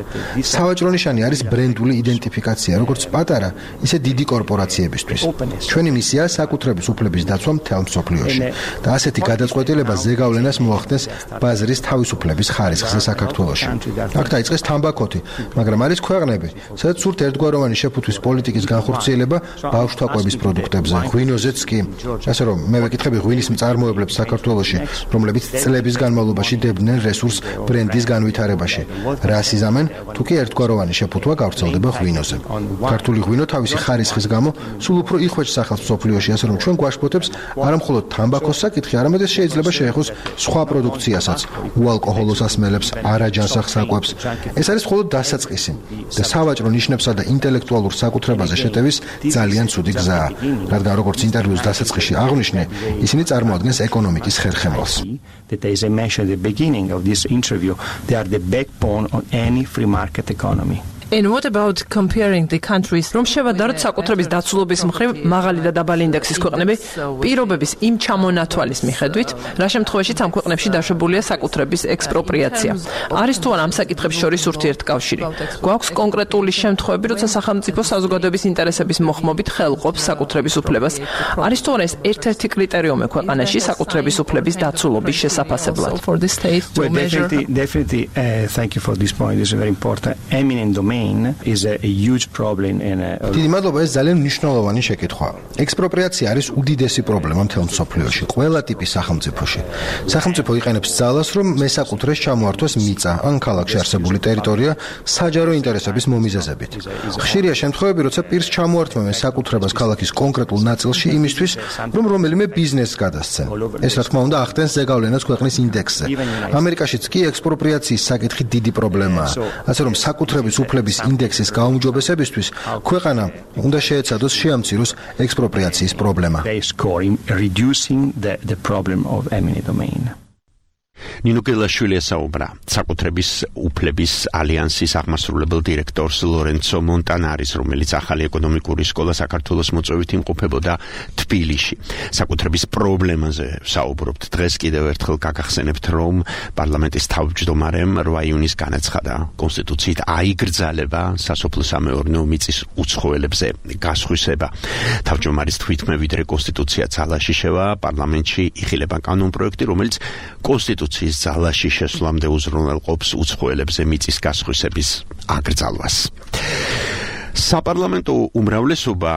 L: სავაჭრო ნიშანი არის ბრენდული იდენტიფიკაცია, როგორც პატარა, ისე დიდი კორპორაციებისთვის. ჩვენი მისიაა საკუთრების უფლების დაცვა მთელ მსოფლიოში და ასეთი გადაწყვეტილება ზეგავლენას მოახდენს ბაზრის თავისუფლების ხარისხზე საქართველოში. აქ დაიწყეს თამბაქოთი, მაგრამ არის ქვეყნები, სადაც სურთ ერთგვაროვანი შეფუთვის პოლიტიკის განხორციელება ბავშვთა კვების პროდუქტებზე, ღვინოზეც კი. ასე რომ მე ვეკითხები ღვინის მწარმოებლებს საქართველოში, რომლებიც წლების განმავლობაში დებდნენ რესურს ბრენდის განვითარებაში. რას იზამენ, თუ კი ერთგვაროვანი შეფუთვა გავრცელდება ღვინოზე. ქართული ღვინო თავისი ხარისხის გამო სულ უფრო იხვეჭს სახელმწიფოს მსოფლიოში, ასე რომ ჩვენ გვაშფოთებს არამხოლოდ თამბაქოს საკითხი, არამედ ეს შეიძლება შეეხოს სხვა პროდუქციასაც, უალკოჰოლო სასმელებს, არაჯანსაღ საკვებს. ეს არის მხოლოდ დასაწყისი და სავაჭრო ნიშნებსა და ინტელექტუალურ საკუთრებაზე შეტევის ძალიან ცუდი გზაა, რადგან როგორც ინტერვიუს დასაწყისში აღნიშნე, ისინი წარმოადგენს ეკონომიკის ხერხემალს.
K: That as I mentioned at the beginning of this interview, they are the backbone of any free market economy.
J: And what about comparing the countries? რომ შევადაროთ საკუთრების დაცულობის მხრივ მაღალი და დაბალი ინდექსის ქვეყნები პირობების იმ ჩამონათვალის მიხედვით, რა შემთხვევაშიც ამ ქვეყნებში დაშვებულია საკუთრების ექსპროპრიაცია. არის თუ არა ამ საკითხებს შორის ურთიერთკავშირი? გვაქვს კონკრეტული შემთხვევები, როცა სახელმწიფო საზოგადოების ინტერესების მოხმობით ხელყოფს საკუთრების უფლებას. არის თუ არა ეს ერთ-ერთი კრიტერიუმი ქვეყანაში საკუთრების უფლების დაცულობის შესაფასებლად?
K: Well, definitely, definitely, uh, thank you for this point. This is very important. Eminent domain is a, a huge problem in a
L: დიდი მადლობა, ეს ძალიან მნიშვნელოვანი შეკითხვაა. ექსპროპრიაცია არის უდიდესი პრობლემა მთელ მსოფლიოში, ყველა ტიპის სახელმწიფოში. სახელმწიფო იყენებს ძალას, რომ მესაკუთრეს ჩამოართვას მიწა ან ქალაქში არსებული ტერიტორია საჯარო ინტერესების მომიზეზებით. ხშირია შემთხვევები, როცა პირს ჩამოართვა მესაკუთრებას ქალაქის კონკრეტულ ნაწილში იმისთვის, რომ რომელიმე ბიზნესს გადასცენ. ეს რა თქმა უნდა ახდენს ზეგავლენას ქვეყნის ინდექსზე. ამერიკაშიც კი ექსპროპრიაციის საკითხი დიდი პრობლემაა. ასე რომ საკუთრების უფლების ინდექსის გაუმჯობესებისთვის ქვეყანა უნდა შეეცადოს შეამციროს ექსპროპრიაციის პრობლემა.
K: reducing the the problem of eminent domain.
F: ნინო გელაშვილი საუბრა საკუთრების უფლების ალიანსის აღმასრულებელ დირექტორს ლორენცო მონტანარის, რომელიც ახალი ეკონომიკური სკოლა საქართველოს მოწვევით იმყოფებოდა თბილისში. საკუთრების პრობლემაზე საუბრობთ. დღეს კიდევ ერთხელ გაგახსენებთ, რომ პარლამენტის თავმჯდომარემ რვა იუნის განაცხადა კონსტიტუციით აიგრძალება სასოფლო-სამეურნეო მიწის უცხოელებზე გასხვისება. თავმჯდომარის თვით მე ვიდრე კონსტიტუცია ძალაში შევა, პარლამენტში იხილება კანონპროექტი, რომელიც კონსტიტუციის ძალაში შესვლამდე უზრუნველყოფს უცხოელებზე მიწის გასხვისების აკრძალვას. საპარლამენტო უმრავლესობა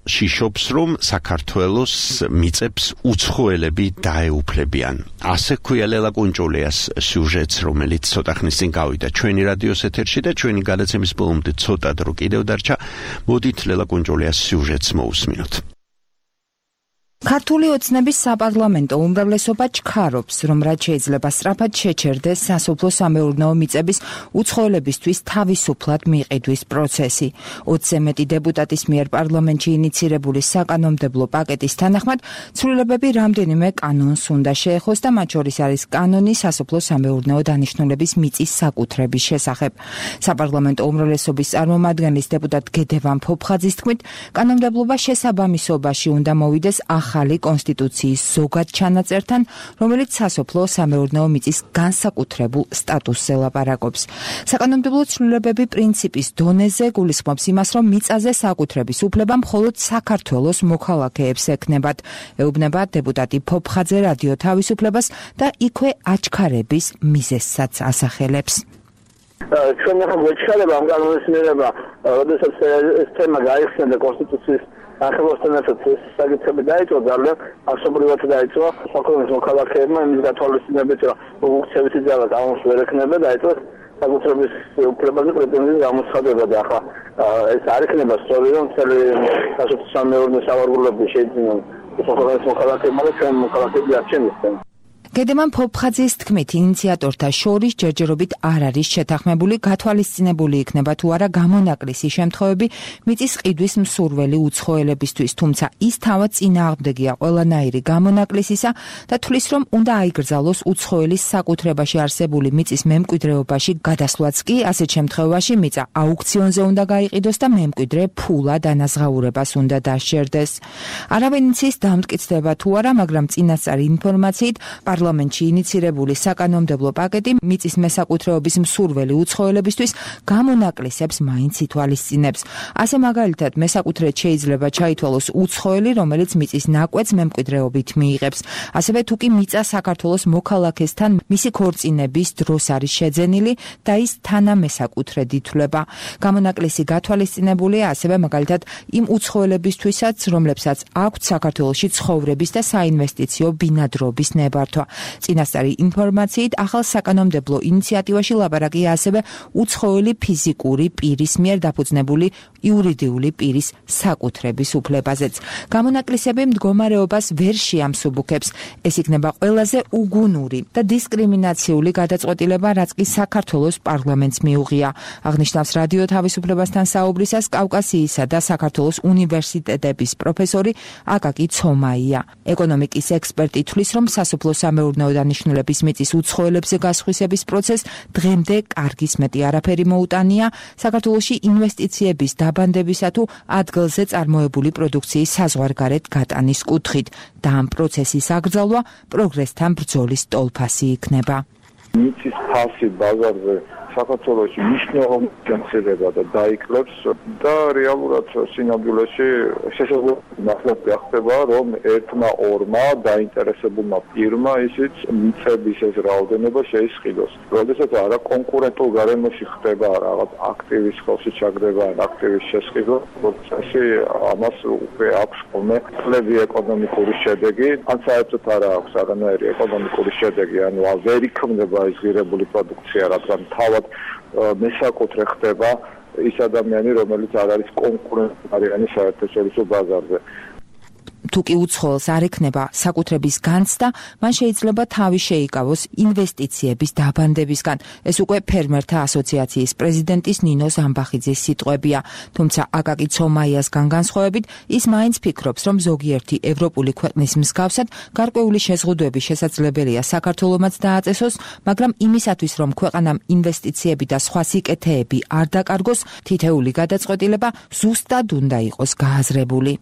F: შიშობს, რომ საქართველოს მიწებს უცხოელები დაეუფლებიან. ასე ქვია ლელა კუნჭულიას სიუჟეტს, რომელიც ცოტა ხნის წინ გავიდა ჩვენი რადიოს ეთერში და ჩვენი გადაცემის ბოლომდე ცოტა დრო კიდევ დარჩა. მოდით ლელა კუნჭულიას სიუჟეტს მოусმინოთ.
M: ქართული ოცნების საპარლამენტო უმრავლესობა ჩქარობს, რომ რაც შეიძლება სწრაფად შეჩერდეს სასოფლო-სამეურნეო მიწების უცხოელებისთვის თავისუფლად მიყიდვის პროცესი. ოცზე მეტი დეპუტატის მიერ პარლამენტში ინიცირებული საკანონმდებლო პაკეტის თანახმად ცვლილებები რამდენიმე კანონს უნდა შეეხოს და მათ შორის არის კანონი სასოფლო-სამეურნეო დანიშნულების მიწის საკუთრების შესახებ. საპარლამენტო უმრავლესობის წარმომადგენლის დეპუტატ გედევან ფოფხაძის თქმით, კანონმდებლობა შესაბამისობაში უნდა მოვიდეს ახალი კონსტიტუციის ზოგად ჩანაწერთან, რომელიც სასოფლო-სამეურნეო მიწის განსაკუთრებულ სტატუსზე ლაპარაკობს. საკანონმდებლო ცვლილებები პრინციპის დონეზე გულისხმობს იმას, რომ მიწაზე საკუთრების უფლება მხოლოდ საქართველოს მოქალაქეებს ექნებათ. ეუბნება დეპუტატი ფოფხაძე რადიო თავისუფლებას და იქვე აჩქარების მიზეზსაც ასახელებს.
N: ჩვენ ახლა გვეჩქარება ამ კანონის მიღება, როდესაც ეს თემა გაიხსნა და კონსტიტუციის ახალოსთან ერთად საკითხები დაიწყო, ძალიან ასობრივად დაიწყო საქართველოს მოქალაქეებმა იმის გათვალისწინებით, რომ უქცევითი ძალა გამოს ვერ ექნება, დაიწყო საკუთრების უფლებაზე პრეტენზიის გამოცხადება და ახლა ეს არ იქნება სწორი რომ მთელი სასოფლო-სამეურნეო სავარგულები შეიძინონ უცხოეთის მოქალაქეებმა და ჩვენ მოქალაქეები არ შემისწენ.
M: გედემან ფოფხაძის თქმით, ინიციატორთა შორის ჯერჯერობით არ არის შეთანხმებული, გათვალისწინებული იქნება თუ არა გამონაკლისი შემთხვევები მიწის ყიდვის მსურველი უცხოელებისთვის, თუმცა ის თავად წინააღმდეგია ყველანაირი გამონაკლისისა და თვლის, რომ უნდა აიგრძალოს უცხოელის საკუთრებაში არსებული მიწის მემკვიდრეობაში გადასვლაც კი, ასეთ შემთხვევაში მიწა აუქციონზე უნდა გაიყიდოს და მემკვიდრე ფულად ანაზღაურებას უნდა დასჯერდეს. არავინ იცის დამტკიცდება თუ არა, მაგრამ წინასწარი ინფორმაციით პარლამენტში ინიცირებული საკანონმდებლო პაკეტი მიწის მესაკუთრეობის მსურველი უცხოელებისთვის გამონაკლისებს მაინც ითვალისწინებს. ასე მაგალითად, მესაკუთრედ შეიძლება ჩაითვალოს უცხოელი, რომელიც მიწის ნაკვეთს მემკვიდრეობით მიიღებს. ასევე თუ კი მიწა საქართველოს მოქალაქესთან მისი ქორწინების დროს არის შეძენილი და ის თანამესაკუთრედ ითვლება. გამონაკლისი გათვალისწინებულია ასევე მაგალითად იმ უცხოელებისთვისაც, რომლებსაც აქვთ საქართველოში ცხოვრების და საინვესტიციო ბინადრობის ნებართვა. წინასწარი ინფორმაციით ახალ საკანონმდებლო ინიციატივაში ლაპარაკია ასევე უცხოელი ფიზიკური პირის მიერ დაფუძნებული იურიდიული პირის საკუთრების უფლებაზეც. გამონაკლისები მდგომარეობას ვერ შეამსუბუქებს. ეს იქნება ყველაზე უგუნური და დისკრიმინაციული გადაწყვეტილება, რაც კი საქართველოს პარლამენტს მიუღია. აღნიშნავს რადიო თავისუფლებასთან საუბრისას კავკასიისა და საქართველოს უნივერსიტეტების პროფესორი აკაკი ცომაია. ეკონომიკის ექსპერტი თვლის, რომ სასოფლო-სამეურნეო დანიშნულების მიწის უცხოელებზე გასხვისების პროცესს დღემდე კარგის მეტი არაფერი მოუტანია საქართველოში ინვესტიციების დაბანდებისა თუ ადგილზე წარმოებული პროდუქციის საზღვარგარეთ გატანის კუთხით და ამ პროცესის აკრძალვა პროგრესთან ბრძოლის ტოლფასი იქნება.
O: მიწის ფასი ბაზარზე საქართველოში მნიშვნელოვნად განცდება და დაიკლებს და რეალურად სინამდვილეში შესაძლოა ნახოთ გახდება რომ ერთმა ორმა დაინტერესებულმა პირმა ისიც მიწების ეს რაოდენობა შეისყიდოს. როდესაც არა კონკურენტულ გარემოში ხდება რაღაც აქტივის ხელში ჩაგდება ან აქტივის შესყიდვა, პროცესი ამას უკვე აქვს ხოლმე კლები ეკონომიკური შედეგი, ან საერთოდ არა აქვს არანაირი ეკონომიკური შედეგი, ანუ ვერ იქმნება ეს ღირებული პროდუქცია, რადგან თავად მესაკუთრე ხდება ის ადამიანი, რომელიც არ არის კონკურენტარიანი საერთაშორისო ბაზარზე.
M: თუ კი უცხოელს არ ექნება საკუთრების განცდა, მან შეიძლება თავი შეიკავოს ინვესტიციების დაბანდებისგან. ეს უკვე ფერმერთა ასოციაციის პრეზიდენტის ნინო ზამბახიძის სიტყვებია. თუმცა აკაკი ცომაიასგან განსხვავებით, ის მაინც ფიქრობს, რომ ზოგიერთი ევროპული ქვეყნის მსგავსად გარკვეული შეზღუდვები შესაძლებელია საქართველომაც დააწესოს, მაგრამ იმისათვის, რომ ქვეყანამ ინვესტიციები და სხვა სიკეთეები არ დაკარგოს, თითეული გადაწყვეტილება ზუსტად უნდა იყოს გააზრებული.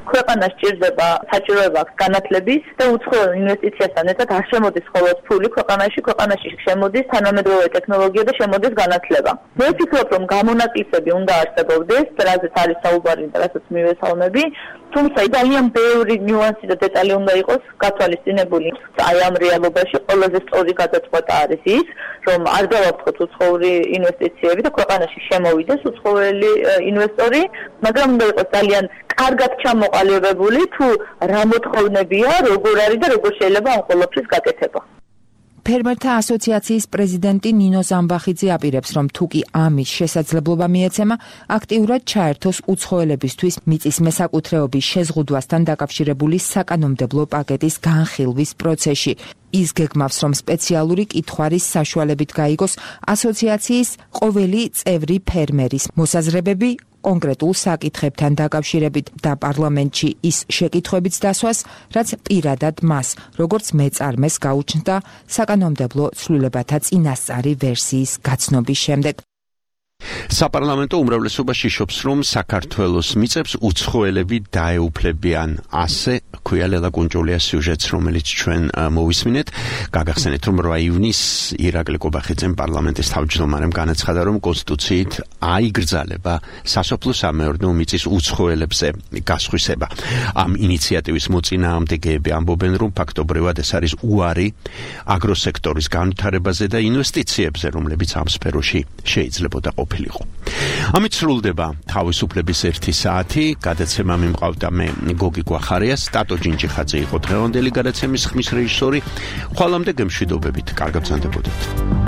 P: ქვეყანას სჭირდება საჭიროება აქვს განათლების და უცხოელ ინვესტიციასთან ერთად არ შემოდის მხოლოდ ფული ქვეყანაში, ქვეყანაში შემოდის თანამედროვე ტექნოლოგია და შემოდის განათლება. მე ვფიქრობ, რომ გამონაკლისები უნდა არსებობდეს, რაზეც არის საუბარი და რასაც მივესალმები, თუმცა ძალიან ბევრი ნიუანსი და დეტალი უნდა იყოს გათვალისწინებული. აი ამ რეალობაში ყველაზე სწორი გადაწყვეტა არის ის, რომ არ დავაფრთხოთ უცხოური ინვესტიციები და ქვეყანაში შემოვიდეს უცხოელი ინვესტორი, მაგრამ უნდა იყოს ძალიან კარგად ჩამოყალიბებული თუ რა მოთხოვნებია, როგორ არის და როგორ შეიძლება ამ ყველაფრის გაკეთება.
M: ფერმერთა ასოციაციის პრეზიდენტი ნინო ზამბახიძე აპირებს, რომ თუ კი ამის შესაძლებლობა მიეცემა, აქტიურად ჩაერთოს უცხოელებისთვის მიწის მესაკუთრეობის შეზღუდვასთან დაკავშირებული საკანონმდებლო პაკეტის განხილვის პროცესში. ის გეგმავს, რომ სპეციალური კითხვარის საშუალებით გაიგოს ასოციაციის ყოველი წევრი ფერმერის მოსაზრებები კონკრეტულ საკითხებთან დაკავშირებით და პარლამენტში ის შეკითხვებიც დასვას, რაც პირადად მას, როგორც მეწარმეს გაუჩნდა საკანონმდებლო ცვლილებათა წინასწარი ვერსიის გაცნობის შემდეგ.
F: საპარლამენტო უმრავლესობაში შობს, რომ საქართველოს მიწებს უცხოელები დაეუფლებიან. ასე ქვია ლელა კუნჯულიას სიუჟეტს, რომელიც ჩვენ მოვისმინეთ. გაგახსენეთ, რომ რვა ივნისს ირაკლი კობახიძემ პარლამენტის თავმჯდომარემ განაცხადა, რომ კონსტიტუციით აიგრძალება სასოფლო-სამეურნეო მიწის უცხოელებზე გასხვისება. ამ ინიციატივის მოწინააღმდეგეები ამბობენ, რომ ფაქტობრივად ეს არის უარი აგროსექტორის განვითარებაზე და ინვესტიციებზე, რომლებიც ამ სფეროში შეიძლებოდა ყოფილიყო. ამით სრულდება თავისუფლების ერთი საათი. გადაცემა მიმყავდა მე გოგი გვახარია, სტატო ჯინჯიხაძე იყო დღევანდელი გადაცემის ხმის რეჟისორი. ხვალამდე გემშვიდობებით, კარგად გრძანდებოდეთ.